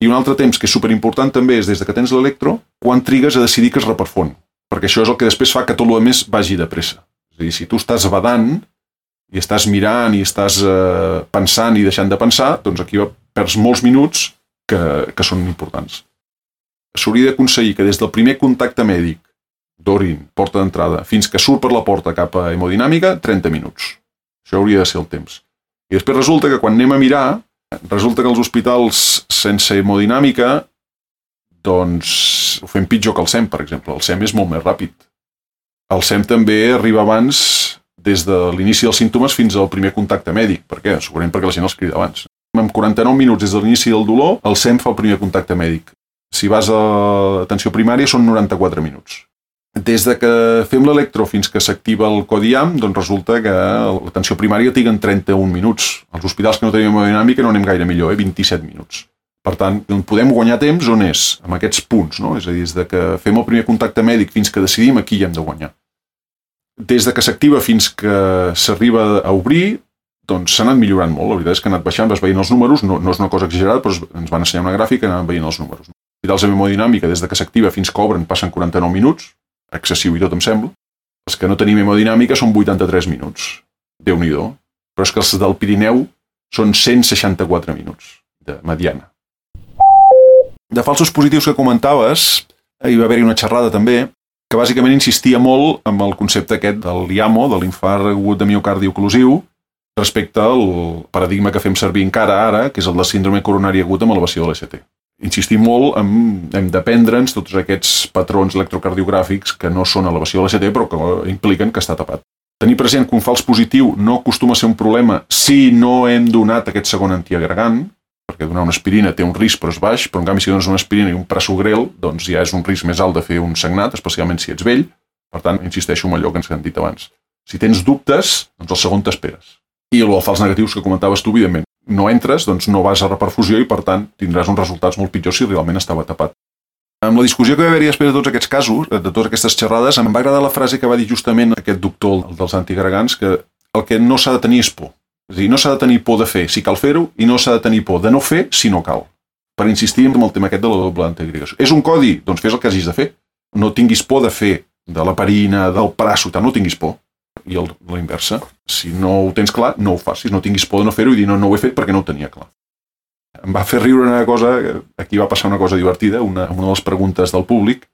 I un altre temps que és superimportant també és des que tens l'electro, quan trigues a decidir que es reperfon. Perquè això és el que després fa que tot el més vagi de pressa. És a dir, si tu estàs badant i estàs mirant i estàs pensant i deixant de pensar, doncs aquí perds molts minuts que són importants. S'hauria d'aconseguir que des del primer contacte mèdic d'orin, porta d'entrada, fins que surt per la porta cap a hemodinàmica, 30 minuts. Això hauria de ser el temps. I després resulta que quan anem a mirar, resulta que els hospitals sense hemodinàmica, doncs ho fem pitjor que el SEM, per exemple. El SEM és molt més ràpid. El SEM també arriba abans des de l'inici dels símptomes fins al primer contacte mèdic. Per què? Segurament perquè la gent els crida abans. En 49 minuts des de l'inici del dolor, el SEM fa el primer contacte mèdic. Si vas a l'atenció primària són 94 minuts. Des de que fem l'electro fins que s'activa el codi IAM, doncs resulta que l'atenció primària triga en 31 minuts. Als hospitals que no tenim hemodinàmica no anem gaire millor, 27 minuts. Per tant, podem guanyar temps on és? Amb aquests punts, no? És a dir, des de que fem el primer contacte mèdic fins que decidim aquí hi hem de guanyar. Des de que s'activa fins que s'arriba a obrir, doncs s'ha anat millorant molt. La veritat és que ha anat baixant, vas veient els números, no és una cosa exagerada, però ens van ensenyar una gràfica i anàvem veient els números. Hospitals amb hemodinàmica, des de que s'activa fins que obren, passen 49 minuts, excessiu i tot, em sembla. Els que no tenim hemodinàmica són 83 minuts. Déu-n'hi-do. Però és que els del Pirineu són 164 minuts de mediana. De falsos positius que comentaves, hi va haver-hi una xerrada també, que bàsicament insistia molt amb el concepte aquest del LIAMO, de l'infart agut de miocardi oclusiu, respecte al paradigma que fem servir encara ara, que és el de síndrome coronari agut amb elevació de l'ECT. Insistim molt en hem d'aprendre'ns tots aquests patrons electrocardiogràfics que no són elevació de l'ECT, però que impliquen que està tapat. Tenir present que un fals positiu no acostuma a ser un problema si no hem donat aquest segon antiagregant, perquè donar una aspirina té un risc però és baix, però en canvi si dones una aspirina i un prasugrel, doncs ja és un risc més alt de fer un sagnat, especialment si ets vell. Per tant, insisteixo en allò que ens hem dit abans. Si tens dubtes, doncs el segon t'esperes. I el dels fals negatius que comentaves tu, evidentment, no entres, doncs no vas a reperfusió i, per tant, tindràs uns resultats molt pitjors si realment estava tapat. Amb la discussió que va haver-hi després de tots aquests casos, de totes aquestes xerrades, em va agradar la frase que va dir justament aquest doctor dels antiagregants, que el que no s'ha de tenir és por. És a dir, no s'ha de tenir por de fer si cal fer-ho i no s'ha de tenir por de no fer si no cal. Per insistir en el tema aquest de la doble antiagregació. És un codi? Doncs fes el que hagis de fer. No tinguis por de fer de l'heparina, del praso, no tinguis por. I la inversa. Si no ho tens clar, no ho facis. No tinguis por de no fer-ho i dir no ho he fet perquè no ho tenia clar. Em va fer riure una cosa, aquí va passar una cosa divertida, una de les preguntes del públic,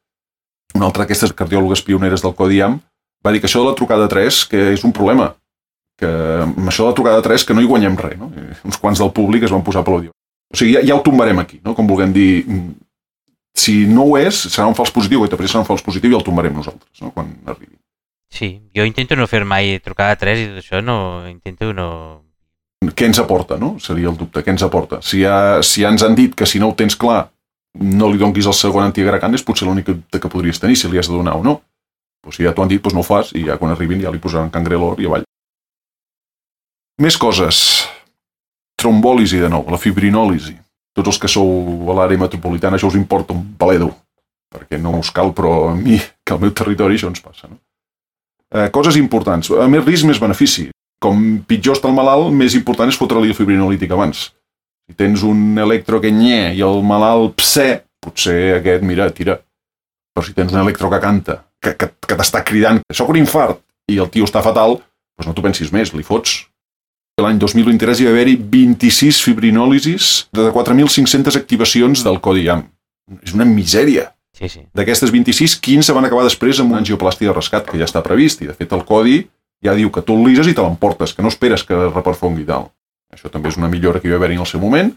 una altra d'aquestes cardiòlogues pioneres del codi IAM, va dir que això de la trucada 3 que és un problema, que amb això de la trucada 3 que no hi guanyem res, no? Uns quants del públic es van posar a aplaudir. O sigui, ja ho tombarem aquí, no? Com vulguem dir, si no ho és, serà un fals positiu, que serà un fals positiu i el tombarem nosaltres, no? Quan arribi. Sí, jo intento no fer mai trucada 3 i tot això, intento no... Què ens aporta, no? Seria el dubte, què ens aporta? Si ja ens han dit que si no ho tens clar no li donguis el segon antiagregant, és potser l'únic dubte que podries tenir, si li has de donar o no. Pues si ja t'ho han dit, doncs no ho fas i ja quan arribin ja li posaran cangrelor i avall. Més coses. Trombòlisi, de nou, la fibrinòlisi. Tots els que sou a l'àrea metropolitana, això us importa un paledo, perquè no us cal, però a mi, que al meu territori, això ens passa, no? Coses importants. A més risc, més benefici. Com pitjor està el malalt, més important és fotre-li el fibrinolític abans. Si tens un electro que nye i el malalt pse, potser aquest, mira, tira. Però si tens un electro que canta, que t'està cridant, que soc un infart, i el tio està fatal, doncs no t'ho pensis més, li fots. L'any 2023 hi va haver-hi 26 fibrinòlisis de 4.500 activacions del codi IAM. És una misèria. Sí. D'aquestes 26, 15 van acabar després amb una angioplàstia de rescat, que ja està previst, i de fet el codi ja diu que tu el lises i te l'emportes, que no esperes que reperfongui tal. Això també és una millora que hi va haver-hi en el seu moment.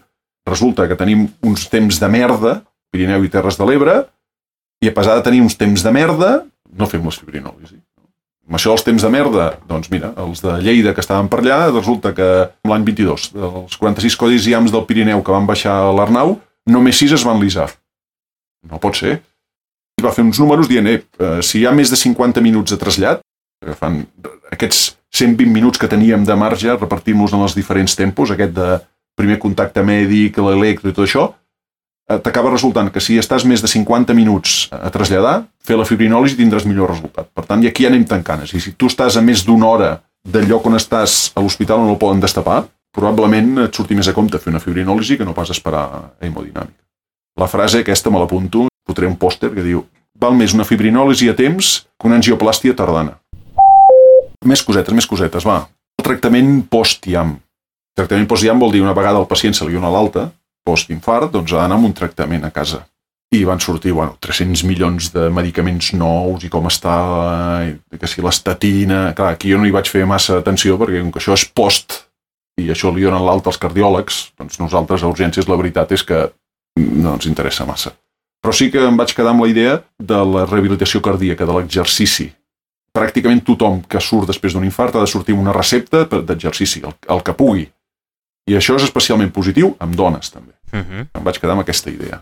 Resulta que tenim uns temps de merda, Pirineu i Terres de l'Ebre, i a pesar de tenir uns temps de merda, no fem les fibrinòlisis. Amb això dels temps de merda, doncs mira, els de Lleida que estaven per allà, resulta que l'any 22, dels 46 codis IAMs del Pirineu que van baixar a l'Arnau, només 6 es van lisar. No pot ser. Va fer uns números dient, si hi ha més de 50 minuts de trasllat, que fan aquests 120 minuts que teníem de marge, repartim-los en els diferents tempos, aquest de primer contacte mèdic, l'electro i tot això, t'acaba resultant que si estàs més de 50 minuts a traslladar, fer la fibrinòlisi tindràs millor resultat. Per tant, i aquí anem tancant. I si tu estàs a més d'una hora del lloc on estàs a l'hospital on el poden destapar, probablement et surti més a compte fer una fibrinòlisi que no pas esperar hemodinàmica. La frase aquesta me l'apunto, fotré un pòster que diu val més una fibrinòlisi a temps que una angioplàstia tardana. Més cosetes, va. El tractament post-IAM. El tractament post-IAM vol dir una vegada el pacient se li dona l'alta, post-infart, doncs ha d'anar amb un tractament a casa. I van sortir 300 milions de medicaments nous i com està, que si l'estatina... Clar, aquí jo no hi vaig fer massa atenció perquè com que això és post i això li donen l'alta als cardiòlegs, doncs nosaltres a urgències la veritat és que no ens interessa massa. Però sí que em vaig quedar amb la idea de la rehabilitació cardíaca, de l'exercici. pràcticament tothom que surt després d'un infart ha de sortir amb una recepta d'exercici, el que pugui. I això és especialment positiu amb dones, també. Em vaig quedar amb aquesta idea.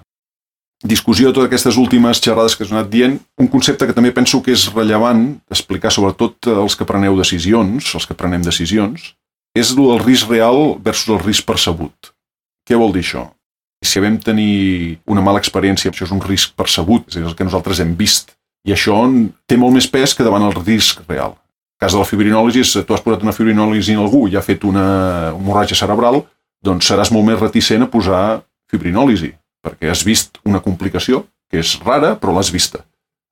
Discussió de totes aquestes últimes xerrades que us he anat dient, un concepte que també penso que és rellevant explicar sobretot els que preneu decisions, els que prenem decisions, és el risc real versus el risc percebut. Què vol dir això? Si vam tenir una mala experiència, això és un risc percebut, és el que nosaltres hem vist, i això té molt més pes que davant el risc real. En cas de la fibrinòlisi, si tu has posat una fibrinòlisi en algú i ha fet una hemorràgia cerebral, doncs seràs molt més reticent a posar fibrinòlisi, perquè has vist una complicació que és rara, però l'has vista.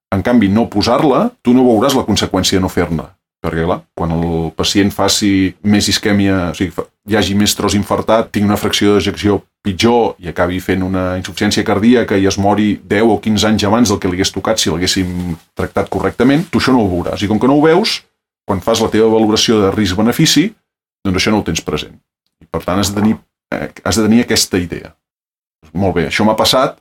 En canvi, no posar-la, tu no veuràs la conseqüència de no fer-ne. Perquè, clar, quan el pacient faci més isquèmia, o sigui, hi hagi més tros infartat, tingui una fracció d'ejecció pitjor i acabi fent una insuficiència cardíaca i es mori 10 o 15 anys abans del que li hagués tocat si l'haguéssim tractat correctament, tu això no ho veuràs. I com que no ho veus, quan fas la teva valoració de risc-benefici, doncs això no ho tens present. I per tant has de tenir aquesta idea. Molt bé, això m'ha passat,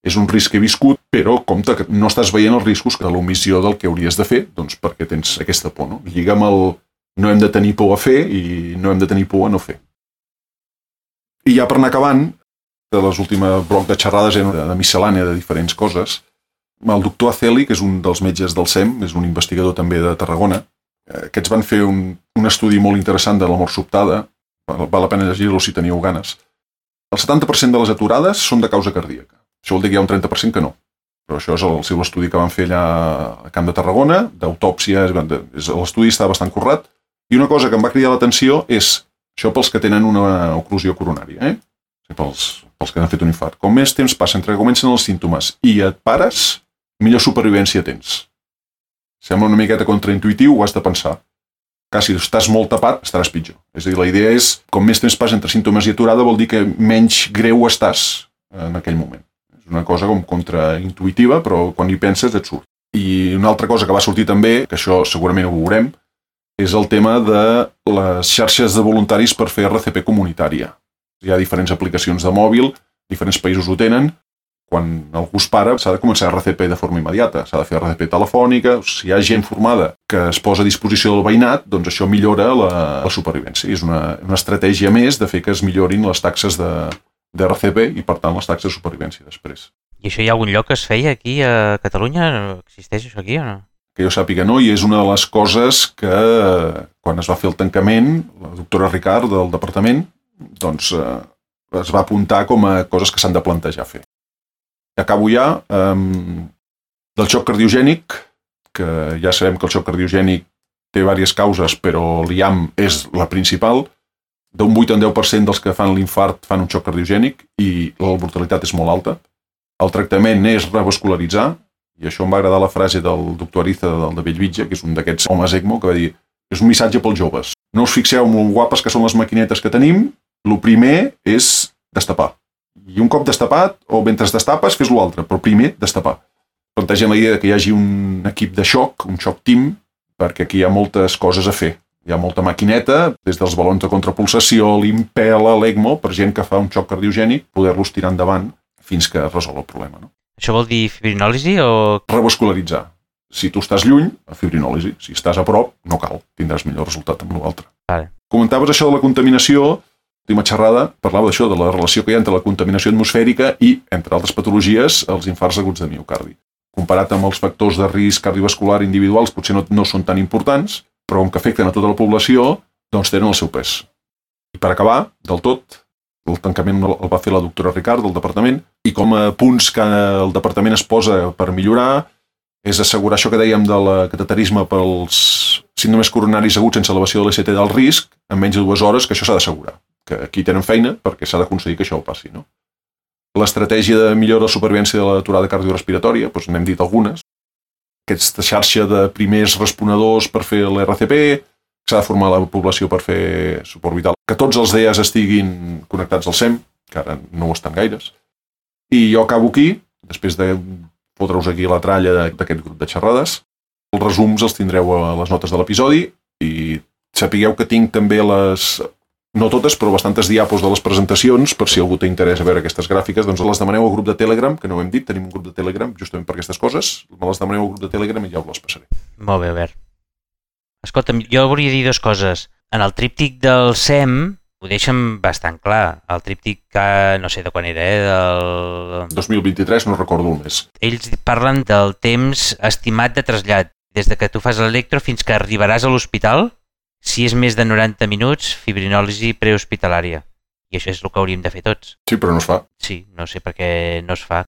és un risc que he viscut, però compte que no estàs veient els riscos de l'omissió del que hauries de fer, doncs perquè tens aquesta por, no? Lliga amb el no hem de tenir por a fer i no hem de tenir por a no fer. I ja per anar acabant, de les últimes bloc de xerrades de miscel·lània de diferents coses, el doctor Aceli, que és un dels metges del SEM, és un investigador també de Tarragona, aquests van fer un estudi molt interessant de la mort sobtada, val la pena llegir-lo si teniu ganes. El 70% de les aturades són de causa cardíaca. Això vol dir que hi ha un 30% que no. Però això és el seu estudi que van fer allà a Camp de Tarragona, d'autòpsia, l'estudi està bastant currat. I una cosa que em va cridar l'atenció és, això pels que tenen una oclusió coronària, pels que han fet un infart. Com més temps passa entre que comencen els símptomes i et pares, millor supervivència tens. Sembla una miqueta contraintuitiu, ho has de pensar. Si estàs molt tapat, estaràs pitjor. És a dir, la idea és, com més temps passa entre símptomes i aturada, vol dir que menys greu estàs en aquell moment. És una cosa com contraintuitiva, però quan hi penses et surt. I una altra cosa que va sortir també, que això segurament ho veurem, és el tema de les xarxes de voluntaris per fer RCP comunitària. Hi ha diferents aplicacions de mòbil, diferents països ho tenen. Quan algú es para, s'ha de començar RCP de forma immediata, s'ha de fer RCP telefònica. Si hi ha gent formada que es posa a disposició del veïnat, doncs això millora la supervivència. És una estratègia més de fer que es millorin les taxes de RCP i, per tant, les taxes de supervivència després. I això hi ha algun lloc que es feia aquí a Catalunya? Existeix això aquí o no? Que jo sàpiga no, i és una de les coses que, quan es va fer el tancament, la doctora Ricard del departament, doncs es va apuntar com a coses que s'han de plantejar fer. Acabo ja del xoc cardiogènic, que ja sabem que el xoc cardiogènic té diverses causes, però l'IAM és la principal. D'un 8 a 10% dels que fan l'infart fan un xoc cardiogènic i la mortalitat és molt alta. El tractament és revascularitzar, i això em va agradar la frase del doctor Ariza del de Bellvitge, que és un d'aquests homes ECMO, que va dir, és un missatge pels joves. No us fixeu en molt guapes que són les maquinetes que tenim, el primer és destapar. I un cop destapat, o mentre destapes, fes l'altre, però primer destapar. Plantegem la idea que hi hagi un equip de xoc, un xoc team, perquè aquí hi ha moltes coses a fer. Hi ha molta maquineta, des dels balons de contrapulsació, l'impela, l'ECMO, per gent que fa un xoc cardiogènic, poder-los tirar endavant fins que es resol el problema. No? Això vol dir fibrinòlisi o...? Revascularitzar. Si tu estàs lluny, fibrinòlisi. Si estàs a prop, no cal. Tindràs millor resultat amb l'altre. Vale. Comentaves això de la contaminació. L'última xerrada parlava d'això, de la relació que hi ha entre la contaminació atmosfèrica i, entre altres patologies, els infarts aguts de miocardi. Comparat amb els factors de risc cardiovascular individuals, potser no són tan importants, però com que afecten a tota la població, doncs tenen el seu pes. I per acabar, del tot, el tancament el va fer la doctora Ricard del departament, i com a punts que el departament es posa per millorar és assegurar això que dèiem del cateterisme pels síndromes coronaris aguts sense elevació de l'ECT del risc en menys de 2 hores, que això s'ha d'assegurar. Que aquí tenen feina perquè s'ha d'aconseguir que això ho passi. No? L'estratègia de millora de supervivència de l'aturada cardiorrespiratòria, doncs n'hem dit algunes. Aquesta xarxa de primers responedors per fer l'RCP, s'ha de formar la població per fer suport vital. Que tots els DEAs estiguin connectats al SEM, que ara no ho estan gaires. I jo acabo aquí, després de fotre-us aquí la tralla d'aquest grup de xerrades. Els resums els tindreu a les notes de l'episodi i sapigueu que tinc també no totes, però bastantes diapos de les presentacions, per si algú té interès a veure aquestes gràfiques, doncs les demaneu al grup de Telegram, que no ho hem dit, tenim un grup de Telegram justament per aquestes coses, me les demaneu al grup de Telegram i ja us les passaré. Molt bé, Albert. Escolta'm, jo volia dir dues coses. En el tríptic del SEM ho deixen bastant clar. El tríptic, no sé de quan era, del... 2023, no recordo el mes. Ells parlen del temps estimat de trasllat. Des de que tu fas l'electro fins que arribaràs a l'hospital, si és més de 90 minuts, fibrinòlisi prehospitalària. I això és el que hauríem de fer tots. Sí, però no es fa. Sí, no sé per què no es fa.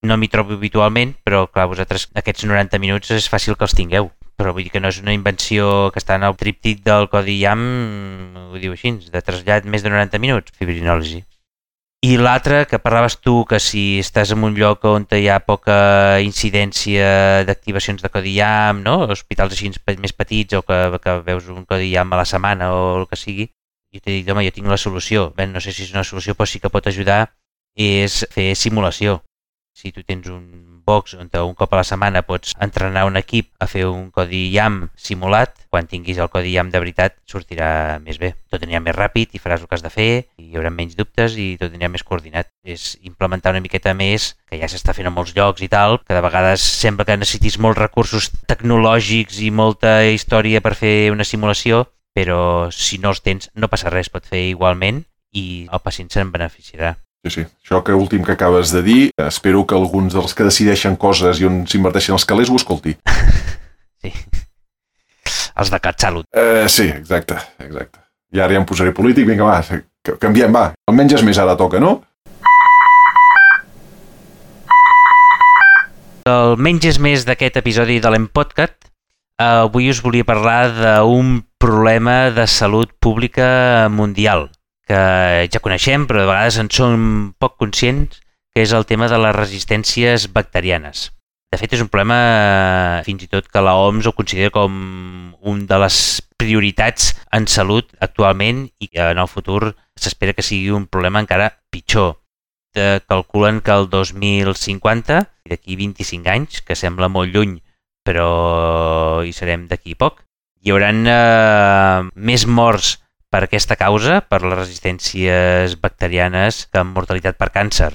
No m'hi trobo habitualment, però clar, vosaltres aquests 90 minuts és fàcil que els tingueu. Però vull dir que no és una invenció que està en el tríptic del codi IAM, ho diu així, de trasllat més de 90 minuts, fibrinòlisi. I l'altre, que parlaves tu, que si estàs en un lloc on hi ha poca incidència d'activacions de codi IAM, no? Hospitals així més petits o que veus un codi IAM a la setmana o el que sigui, jo t'he dit, home, jo tinc la solució. Bé, no sé si és una solució, però sí que pot ajudar, és fer simulació. Si tu tens un box on un cop a la setmana pots entrenar un equip a fer un codi IAM simulat, quan tinguis el codi IAM de veritat sortirà més bé. Tot anirà més ràpid i faràs el que has de fer, i hi haurà menys dubtes i tot anirà més coordinat. És implementar una miqueta més, que ja s'està fent a molts llocs i tal, que de vegades sembla que necessitis molts recursos tecnològics i molta història per fer una simulació, però si no els tens no passa res, pot fer igualment i el pacient se'n beneficiarà. Sí. Això que últim que acabes de dir, espero que alguns dels que decideixen coses i on s'inverteixen els calés ho escolti. Sí. Els de CatSalut. Sí, exacte. I ara ja em posaré polític, vinga, va, canviem, va. El menges més ara toca, no? El menges més d'aquest episodi de l'Empodcast, avui us volia parlar d'un problema de salut pública mundial, que ja coneixem, però de vegades en som poc conscients, que és el tema de les resistències bacterianes. De fet, és un problema fins i tot que l'OMS ho considera com una de les prioritats en salut actualment i que en el futur s'espera que sigui un problema encara pitjor. Calculen que el 2050, d'aquí 25 anys, que sembla molt lluny, però hi serem d'aquí poc, hi haurà més morts per aquesta causa, per les resistències bacterianes, que amb mortalitat per càncer.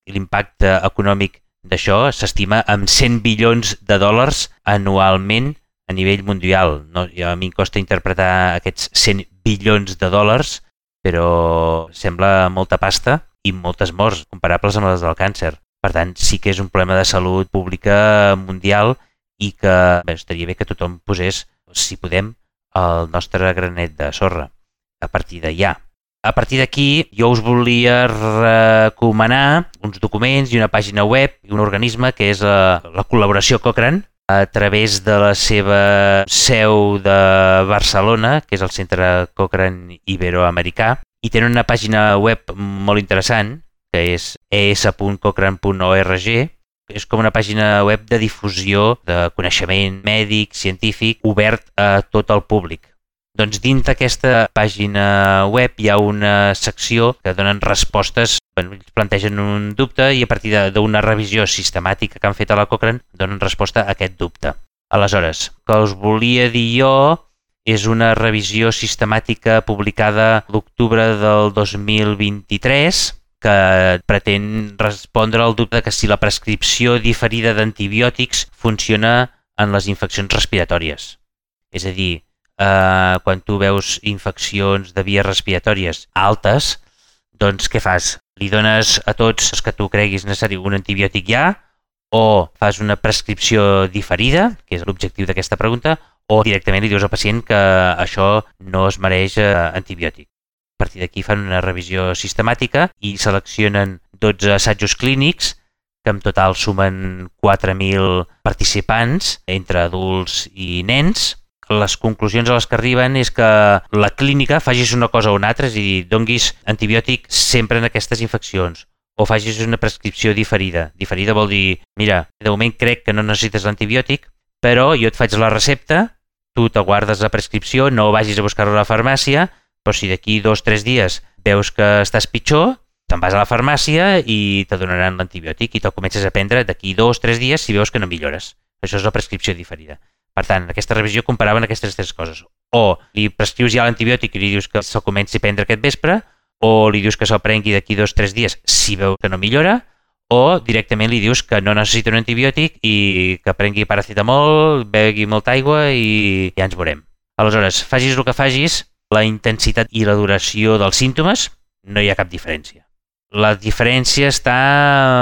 L'impacte econòmic d'això s'estima en 100 bilions de dòlars anualment a nivell mundial. No, a mi em costa interpretar aquests 100 bilions de dòlars, però sembla molta pasta i moltes morts comparables amb les del càncer. Per tant, sí que és un problema de salut pública mundial i que estaria bé que tothom posés, si podem, el nostre granet de sorra a partir d'allà. A partir d'aquí, jo us volia recomanar uns documents i una pàgina web i un organisme que és la col·laboració Cochrane, a través de la seva seu de Barcelona, que és el Centre Cochrane Iberoamericà, i tenen una pàgina web molt interessant, que és es.cochrane.org. És com una pàgina web de difusió de coneixement mèdic, científic, obert a tot el públic. Doncs dins d'aquesta pàgina web hi ha una secció que donen respostes, ells plantegen un dubte i a partir d'una revisió sistemàtica que han fet a la Cochrane donen resposta a aquest dubte. Aleshores, el que us volia dir jo és una revisió sistemàtica publicada l'octubre del 2023 que pretén respondre al dubte que si la prescripció diferida d'antibiòtics funciona en les infeccions respiratòries. És a dir, quan tu veus infeccions de vies respiratòries altes, doncs què fas? Li dones a tots els que tu creguis necessari un antibiòtic ja, o fas una prescripció diferida, que és l'objectiu d'aquesta pregunta, o directament li dius al pacient que això no es mereix antibiòtic. A partir d'aquí fan una revisió sistemàtica i seleccionen 12 assajos clínics que en total sumen 4.000 participants entre adults i nens. Les conclusions a les que arriben és que la clínica facis una cosa o una altra, és a dir, donguis antibiòtic sempre en aquestes infeccions, o facis una prescripció diferida. Diferida vol dir, mira, de moment crec que no necessites l'antibiòtic, però jo et faig la recepta, tu te guardes la prescripció, no vagis a buscar-la a la farmàcia, però si d'aquí 2 o 3 dies veus que estàs pitjor, te'n vas a la farmàcia i te donaran l'antibiòtic i te'l comences a prendre d'aquí 2 o 3 dies si veus que no millores. Això és la prescripció diferida. Per tant, en aquesta revisió comparaven aquestes 3 coses. O li prescrius ja l'antibiòtic i li dius que se'l comenci a prendre aquest vespre, o li dius que se'l prengui d'aquí 2 o 3 dies si veu que no millora, o directament li dius que no necessita un antibiòtic i que prengui paracetamol, begui molta aigua i ja ens veurem. Aleshores, facis el que facis, la intensitat i la duració dels símptomes no hi ha cap diferència. La diferència està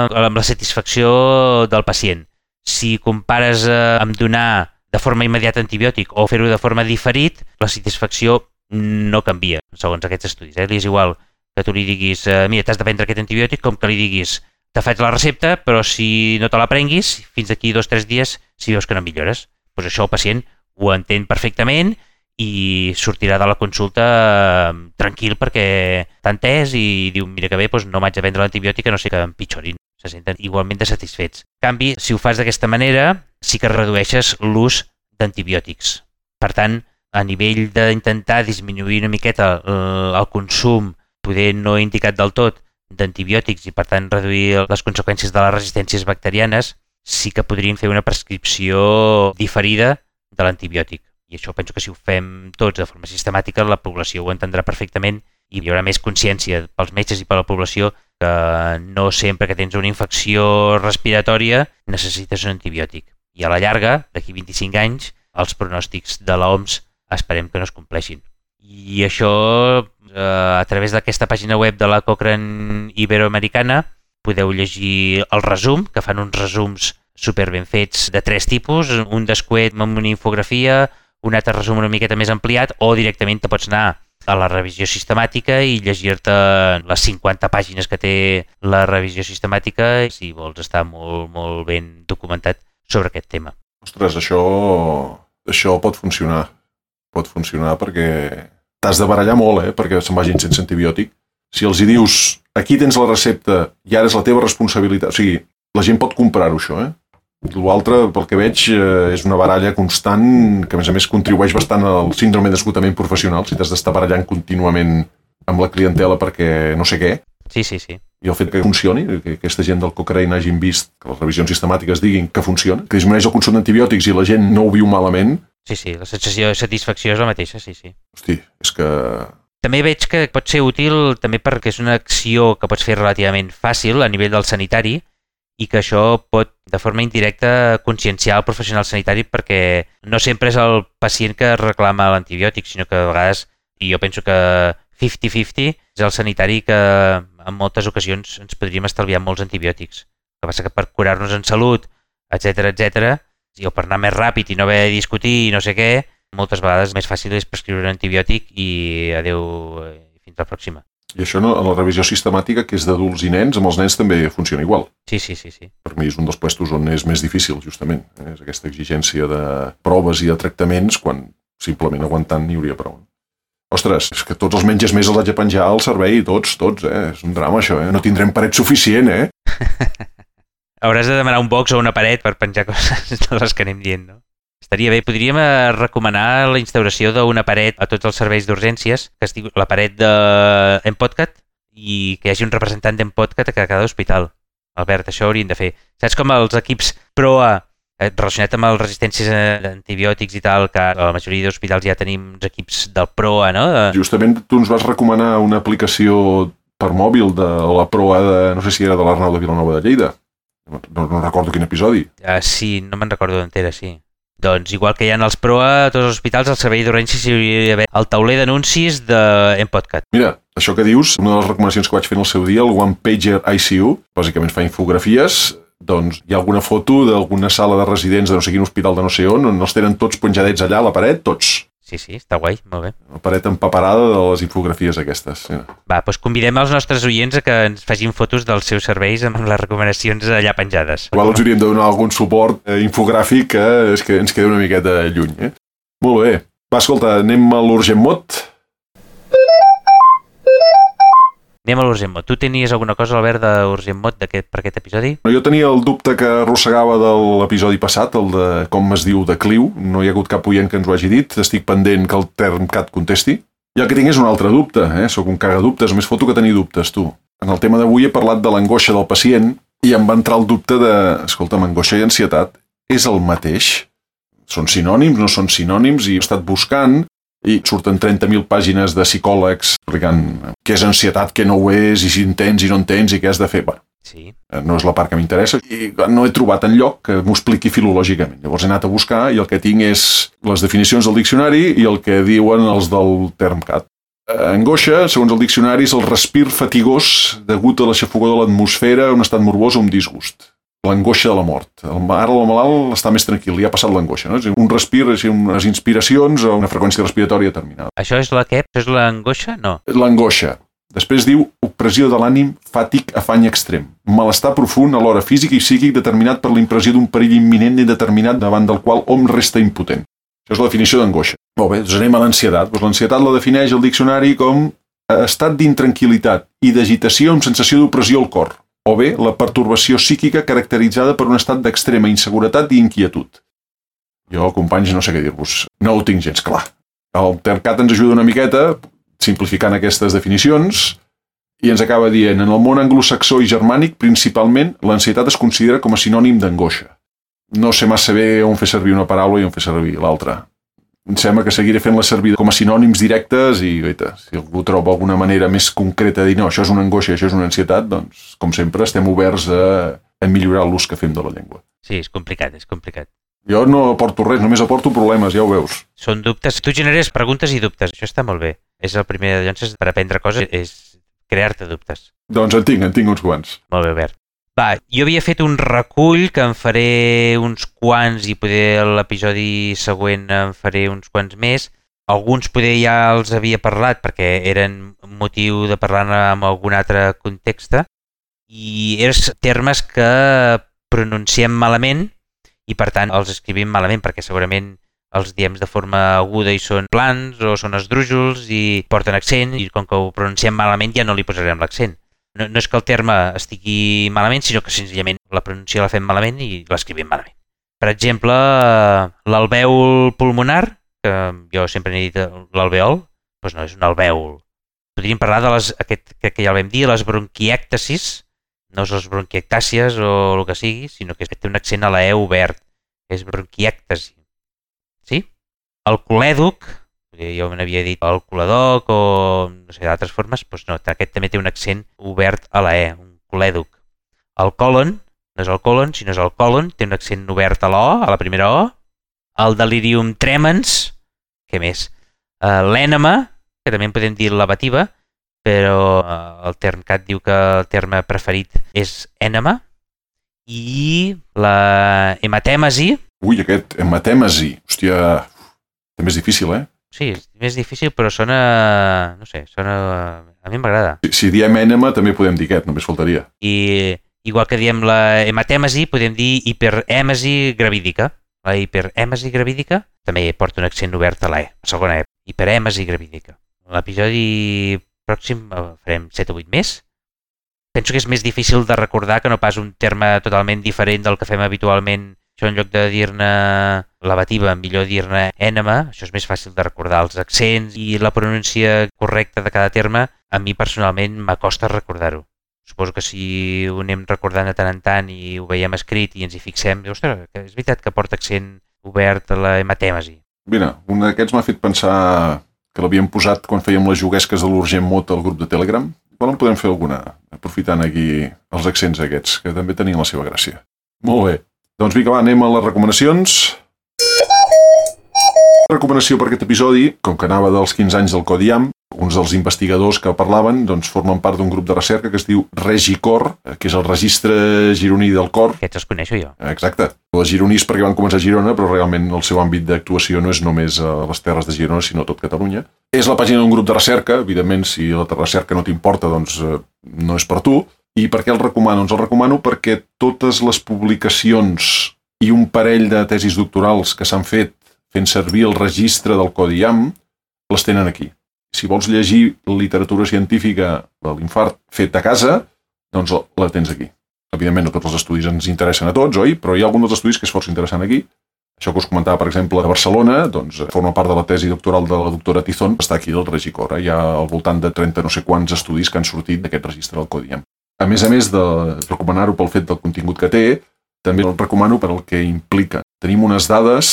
amb la satisfacció del pacient. Si compares amb donar de forma immediata antibiòtic o fer-ho de forma diferit, la satisfacció no canvia, segons aquests estudis. Li és igual que tu li diguis mira, t'has de prendre aquest antibiòtic, com que li diguis te faig la recepta, però si no te la prenguis, fins d'aquí 2 o 3 dies, si veus que no millores. Doncs això el pacient ho entén perfectament i sortirà de la consulta tranquil perquè t'ha entès i diu, mira que bé, doncs no m'haig de prendre l'antibiòtic, no sé que empitjorin. Se senten igualment de satisfets. En canvi, si ho fas d'aquesta manera, sí que redueixes l'ús d'antibiòtics. Per tant, a nivell d'intentar disminuir una miqueta el consum, poder no indicat del tot, d'antibiòtics i per tant reduir les conseqüències de les resistències bacterianes, sí que podríem fer una prescripció diferida de l'antibiòtic. I això penso que si ho fem tots de forma sistemàtica, la població ho entendrà perfectament i hi haurà més consciència pels metges i per la població que no sempre que tens una infecció respiratòria necessites un antibiòtic. I a la llarga, d'aquí 25 anys, els pronòstics de l'OMS esperem que no es compleixin. I això, a través d'aquesta pàgina web de la Cochrane Iberoamericana, podeu llegir el resum, que fan uns resums super ben fets de 3 tipus, un descuet amb una infografia, un altre resum una miqueta més ampliat, o directament te pots anar a la revisió sistemàtica i llegir-te les 50 pàgines que té la revisió sistemàtica si vols estar molt, molt ben documentat sobre aquest tema. Ostres, això pot funcionar. Pot funcionar perquè t'has de barallar molt, perquè se'n vagin sense antibiòtic. Si els hi dius, aquí tens la recepta i ara és la teva responsabilitat, o sigui, la gent pot comprar-ho, això, L'altre, pel que veig, és una baralla constant que, a més contribueix bastant al síndrome d'esgotament professional, si t'has d'estar barallant contínuament amb la clientela perquè no sé què. Sí. I el fet que funcioni, que aquesta gent del Cochrane hagin vist, que les revisions sistemàtiques diguin que funciona, que disminueix el consum d'antibiòtics i la gent no ho viu malament. Sí, la sensació de satisfacció és la mateixa, sí. Hosti, és que... També veig que pot ser útil també perquè és una acció que pots fer relativament fàcil a nivell del sanitari i que això pot, de forma indirecta, conscienciar el professional sanitari perquè no sempre és el pacient que reclama l'antibiòtic, sinó que a vegades, i jo penso que 50-50, és el sanitari que en moltes ocasions ens podríem estalviar molts antibiòtics. El que passa que per curar-nos en salut, etc, o per anar més ràpid i no haver de discutir i no sé què, moltes vegades més fàcil és prescriure un antibiòtic i adeu, fins la pròxima. I això a la revisió sistemàtica, que és d'adults i nens, amb els nens també funciona igual. Sí. Per mi és un dels puestos on és més difícil, justament. És aquesta exigència de proves i de tractaments, quan simplement aguantant n'hi hauria prou. Ostres, és que tots els menges més els haig de penjar al servei, tots, És un drama, això, No tindrem paret suficient, Hauràs de demanar un box o una paret per penjar coses de les que anem dient, no? Estaria bé. Podríem recomanar la instauració d'una paret a tots els serveis d'urgències, que es diu la paret d'Empodcat, i que hi hagi un representant d'Empodcat a cada hospital. Albert, això haurien de fer. Saps com els equips PROA, relacionat amb les resistències a antibiòtics i tal, que a la majoria d'hospitals ja tenim uns equips del PROA, no? Justament tu ens vas recomanar una aplicació per mòbil de la PROA de, no sé si era de l'Arnau de Vilanova de Lleida. No recordo quin episodi. Sí, no me'n recordo d'entera, sí. Doncs igual que hi ha els PROA a tots els hospitals, al servei d'urgències hi hauria d'haver el tauler d'anuncis d'Empodcat. Mira, això que dius, una de les recomanacions que vaig fer en el seu dia, el One Pager ICU, bàsicament fa infografies, doncs hi ha alguna foto d'alguna sala de residents de no sé quin hospital de no sé on els tenen tots penjadets allà a la paret, tots. Sí, està guai, molt bé. La paret empaperada de les infografies aquestes. Va, doncs convidem els nostres oients a que ens facin fotos dels seus serveis amb les recomanacions allà penjades. Igual els hauríem de donar algun suport infogràfic que ens queda una miqueta lluny. Molt bé. Va, escolta, anem a l'Urgent Mot. Anem a l'Urgent Mot. Tu tenies alguna cosa, Albert, d'Urgent Mot per aquest episodi? Jo tenia el dubte que arrossegava de l'episodi passat, el de com es diu decliu. No hi ha hagut cap oient que ens ho hagi dit. Estic pendent que el Termcat contesti. I el que tinc és un altre dubte. Soc un cagadubtes. Només foto que tenir dubtes, tu. En el tema d'avui he parlat de l'angoixa del pacient i em va entrar el dubte de... Escolta'm, angoixa i ansietat és el mateix? Són sinònims, no són sinònims? I he estat buscant... i surten 30.000 pàgines de psicòlegs explicant què és ansietat, què no ho és, i si en tens i no en tens, i què has de fer. Bueno, Sí. No és la part que m'interessa i no he trobat enlloc que m'ho expliqui filològicament. Llavors he anat a buscar i el que tinc és les definicions del diccionari i el que diuen els del Termcat. Angoixa, segons el diccionari, és el respir fatigós degut a l'aixafogor de l'atmosfera, un estat morbós o un disgust. L'angoixa de la mort. Ara el malalt està més tranquil, li ha passat l'angoixa. No? Un respir, unes inspiracions o una freqüència respiratòria determinada. Això és la què? Això és l'angoixa? No. L'angoixa. Després diu opressió de l'ànim, fàtic, afany extrem. Malestar profund, alhora físic i psíquic, determinat per la impressió d'un perill imminent i determinat davant del qual hom resta impotent. Això és la definició d'angoixa. Molt bé, doncs anem a l'ansietat. L'ansietat la defineix el diccionari com estat d'intranquil·litat i d'agitació amb sensació d'opressió al cor, o bé la pertorbació psíquica caracteritzada per un estat d'extrema inseguretat i inquietud. Jo, companys, no sé què dir-vos. No ho tinc gens clar. El Termcat ens ajuda una miqueta simplificant aquestes definicions, i ens acaba dient, en el món anglosaxó i germànic, principalment, l'ansietat es considera com a sinònim d'angoixa. No sé massa bé on fer servir una paraula i on fer servir l'altra. Em sembla que seguiré fent-la servir com a sinònims directes i, oita, si algú troba alguna manera més concreta de dir, no, això és una angoixa i això és una ansietat, doncs, com sempre, estem oberts a millorar l'ús que fem de la llengua. Sí, és complicat, és complicat. Jo no aporto res, només aporto problemes, ja ho veus. Són dubtes. Tu generes preguntes i dubtes. Això està molt bé. És el primer de llances per aprendre coses, és crear-te dubtes. Doncs en tinc uns quants. Molt bé, Albert. Va, jo havia fet un recull que en faré uns quants i poder l'episodi següent en faré uns quants més. Alguns poder ja els havia parlat perquè eren motiu de parlar en algun altre context i eren termes que pronunciem malament i per tant els escrivim malament perquè segurament els diem de forma aguda i són plans o són esdrújols i porten accent i com que ho pronunciem malament ja no li posarem l'accent. No és que el terme estigui malament, sinó que senzillament la pronunciació la fem malament i l'escrivim malament. Per exemple, l'alvèol pulmonar, que jo sempre n'he dit l'alvèol, doncs no és un alvèol. Podríem parlar de aquest que ja el vam dir, les bronquièctasis, no és les bronquiectàcies o el que sigui, sinó que té un accent a la E obert, és bronquièctasi. Sí? El colèdoc, jo me n'havia dit el coledoc o no sé, d'altres formes, doncs no, aquest també té un accent obert a la E, un colèdoc. El còlon, no és el còlon, sinó és el còlon, té un accent obert a la O, a la primera O. El delirium tremens, què més? L'ènema, que també en podem dir lavativa, però el Termcat diu que el terme preferit és ènema. I la hematèmesi. Ui, aquest hematèmesi, hòstia, també és difícil, eh? Sí, és més difícil, però sona... no sé, sona... a mi m'agrada. Si diem ènema, també podem dir aquest, només faltaria. I igual que diem la hematèmesi, podem dir hiperèmesi gravídica. La hiperèmesi gravídica també porta un accent obert a la E, a segona E. Hiperèmesi gravídica. L'episodi pròxim farem 7 o 8 més. Penso que és més difícil de recordar que no pas un terme totalment diferent del que fem habitualment. Això en lloc de dir-ne lavativa, millor dir-ne ènema. Això és més fàcil de recordar. Els accents i la pronúncia correcta de cada terme, a mi personalment m'acosta recordar-ho. Suposo que si ho anem recordant de tant en tant i ho veiem escrit i ens hi fixem, ostres, és veritat que porta accent obert a la hematèmesi. Mira, un d'aquests m'ha fet pensar que l'havíem posat quan fèiem les juguesques de l'Urgent Mot al grup de Telegram. Igual en podem fer alguna, aprofitant aquí els accents aquests, que també tenien la seva gràcia. Molt bé. Doncs vinga, va, anem a les recomanacions. Recomanació per aquest episodi, com que anava dels 15 anys del CODIAM, uns dels investigadors que parlaven doncs, formen part d'un grup de recerca que es diu RegiCor, que és el registre gironí del cor. Aquests els coneixo jo. Exacte. Els gironís perquè van començar a Girona, però realment el seu àmbit d'actuació no és només a les terres de Girona, sinó a tot Catalunya. És la pàgina d'un grup de recerca, evidentment, si la recerca no t'importa, doncs no és per tu. I per què el recomano? Doncs el recomano perquè totes les publicacions i un parell de tesis doctorals que s'han fet fent servir el registre del CODIAM les tenen aquí. Si vols llegir literatura científica de l'infart fet a casa, doncs la tens aquí. Evidentment, no tots els estudis ens interessen a tots, oi? Però hi ha algun dels estudis que és força interessant aquí. Això que us comentava, per exemple, a Barcelona, doncs forma part de la tesi doctoral de la doctora Tizón, està aquí al RegiCor. Hi ha al voltant de 30 no sé quants estudis que han sortit d'aquest registre del CODIAM. A més de recomanar-ho pel fet del contingut que té, també el recomano per el que implica. Tenim unes dades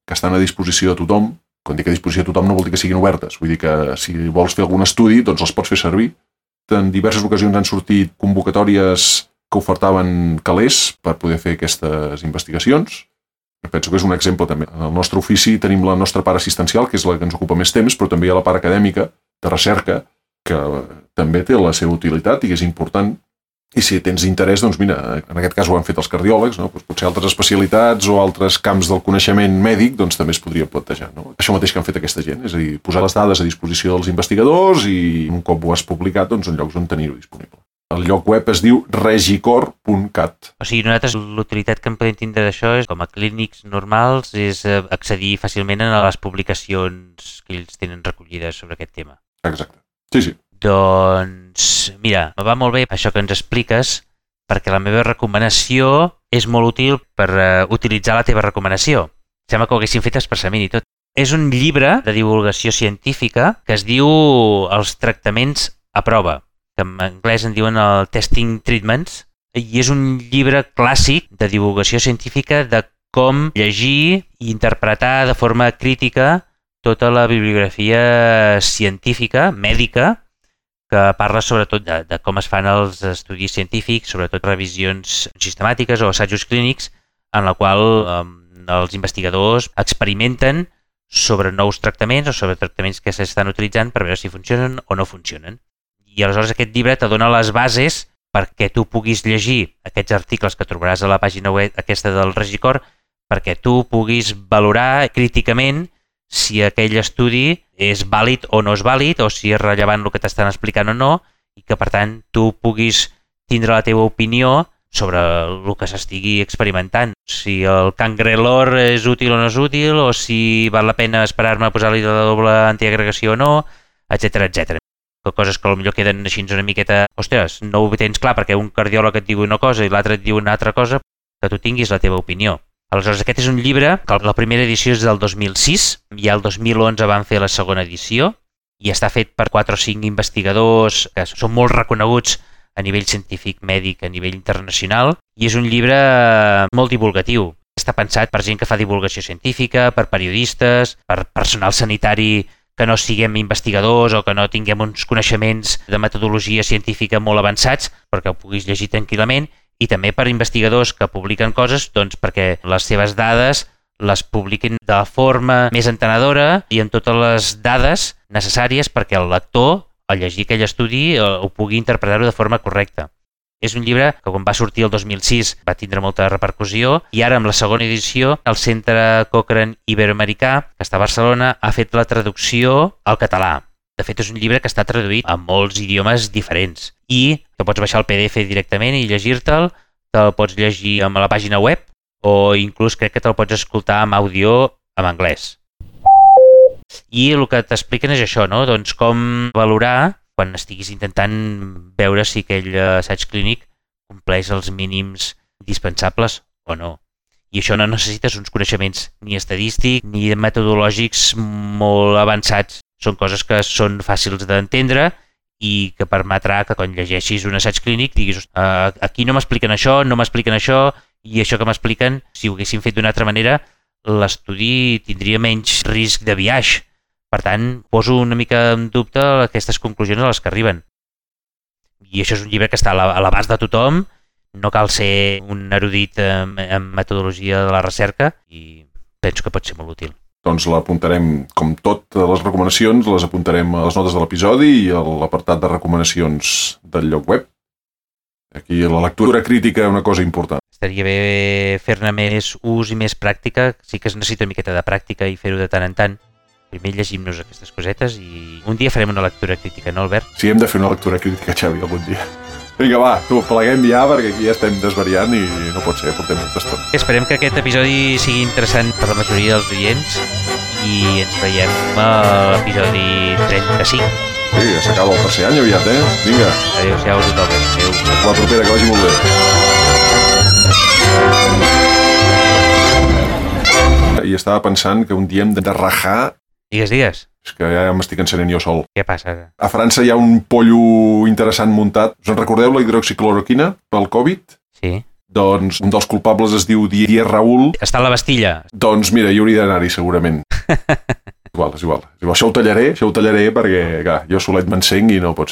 que estan a disposició de tothom. Quan dic a disposició de tothom no vol dir que siguin obertes. Vull dir que si vols fer algun estudi, doncs els pots fer servir. En diverses ocasions han sortit convocatòries que ofertaven calés per poder fer aquestes investigacions. Penso que és un exemple també. En el nostre ofici tenim la nostra part assistencial, que és la que ens ocupa més temps, però també hi ha la part acadèmica, de recerca, que també té la seva utilitat i que és important. I si tens interès, doncs mira, en aquest cas ho han fet els cardiòlegs, no? Doncs potser altres especialitats o altres camps del coneixement mèdic doncs també es podria plantejar. No? Això mateix que han fet aquesta gent, és a dir, posar les dades a disposició dels investigadors i un cop ho has publicat, doncs en llocs on tenir-ho disponible. El lloc web es diu regicor.cat. O sigui, nosaltres l'utilitat que en podem tindre d'això és, com a clínics normals, és accedir fàcilment a les publicacions que ells tenen recollides sobre aquest tema. Exacte. Sí. Doncs, mira, me va molt bé això que ens expliques, perquè la meva recomanació és molt útil per utilitzar la teva recomanació. Sembla que ho haguessin fet expressament i tot. És un llibre de divulgació científica que es diu Els tractaments a prova, que en anglès en diuen el Testing Treatments, i és un llibre clàssic de divulgació científica de com llegir i interpretar de forma crítica tota la bibliografia científica, mèdica, que parla sobretot de com es fan els estudis científics, sobretot revisions sistemàtiques o assajos clínics, en la qual els investigadors experimenten sobre nous tractaments o sobre tractaments que s'estan utilitzant per veure si funcionen o no funcionen. I aleshores aquest llibre te dona les bases perquè tu puguis llegir aquests articles que trobaràs a la pàgina web aquesta del Regicor, perquè tu puguis valorar críticament si aquell estudi és vàlid o no és vàlid, o si és rellevant el que t'estan explicant o no, i que per tant tu puguis tindre la teva opinió sobre el que s'estigui experimentant. Si el cangrelor és útil o no és útil, o si val la pena esperar-me a posar-li de doble antiagregació o no, etc. Coses que potser queden així una miqueta... Ostres, no ho tens clar perquè un cardiòleg et diu una cosa i l'altre et diu una altra cosa, que tu tinguis la teva opinió. Aleshores, aquest és un llibre que la primera edició és del 2006, i el 2011 van fer la segona edició, i està fet per 4 o 5 investigadors que són molt reconeguts a nivell científic, mèdic, a nivell internacional, i és un llibre molt divulgatiu. Està pensat per gent que fa divulgació científica, per periodistes, per personal sanitari que no siguem investigadors o que no tinguem uns coneixements de metodologia científica molt avançats perquè ho puguis llegir tranquil·lament, i també per investigadors que publiquen coses doncs, perquè les seves dades les publiquin de forma més entenedora i amb totes les dades necessàries perquè el lector, al llegir aquell estudi, ho pugui interpretar-ho de forma correcta. És un llibre que quan va sortir el 2006 va tindre molta repercussió, i ara amb la segona edició el Centre Cochrane Iberoamericà, que està a Barcelona, ha fet la traducció al català. De fet, és un llibre que està traduït a molts idiomes diferents i que pots baixar el PDF directament i llegir-te'l, te'l pots llegir a la pàgina web o inclús crec que te'l pots escoltar amb àudio en anglès. I el que t'expliquen és això, no? Doncs com valorar quan estiguis intentant veure si aquell assaig clínic compleix els mínims indispensables o no. I això no necessites uns coneixements ni estadístics ni metodològics molt avançats. Són coses que són fàcils d'entendre i que permetrà que quan llegeixis un assaig clínic diguis aquí no m'expliquen això, i això que m'expliquen, si ho haguessin fet d'una altra manera, l'estudi tindria menys risc de biaix. Per tant, poso una mica en dubte aquestes conclusions a les que arriben. I això és un llibre que està a l'abast de tothom, no cal ser un erudit en metodologia de la recerca i penso que pot ser molt útil. Doncs l'apuntarem, com totes les recomanacions, les apuntarem a les notes de l'episodi i a l'apartat de recomanacions del lloc web. Aquí la lectura crítica és una cosa important. Estaria bé fer-ne més ús i més pràctica. Sí que es necessita una miqueta de pràctica i fer-ho de tant en tant. Primer llegim-nos aquestes cosetes i un dia farem una lectura crítica, no, Albert? Sí, hem de fer una lectura crítica, Xavi, algun dia. Vinga, va, pleguem ja, perquè aquí ja estem desvariant i no pot ser, portem molta estona. Esperem que aquest episodi sigui interessant per la majoria dels oients i ens veiem a l'episodi 35. Sí, ja s'acaba el tercer any aviat, Vinga. Adéu-siau a tothom. Adéu. La propera, que vagi molt bé. I estava pensant que un dia hem de rajar... Digues. És que ja m'estic encenent jo sol. Què passa? A França hi ha un pollo interessant muntat. Us en recordeu la hidroxicloroquina pel Covid? Sí. Doncs un dels culpables es diu Didier Raoult. Està a la Bastilla. Doncs mira, hi hauria d'anar-hi segurament. És igual. Això ho tallaré perquè clar, jo solet m'encenc i no pot ser.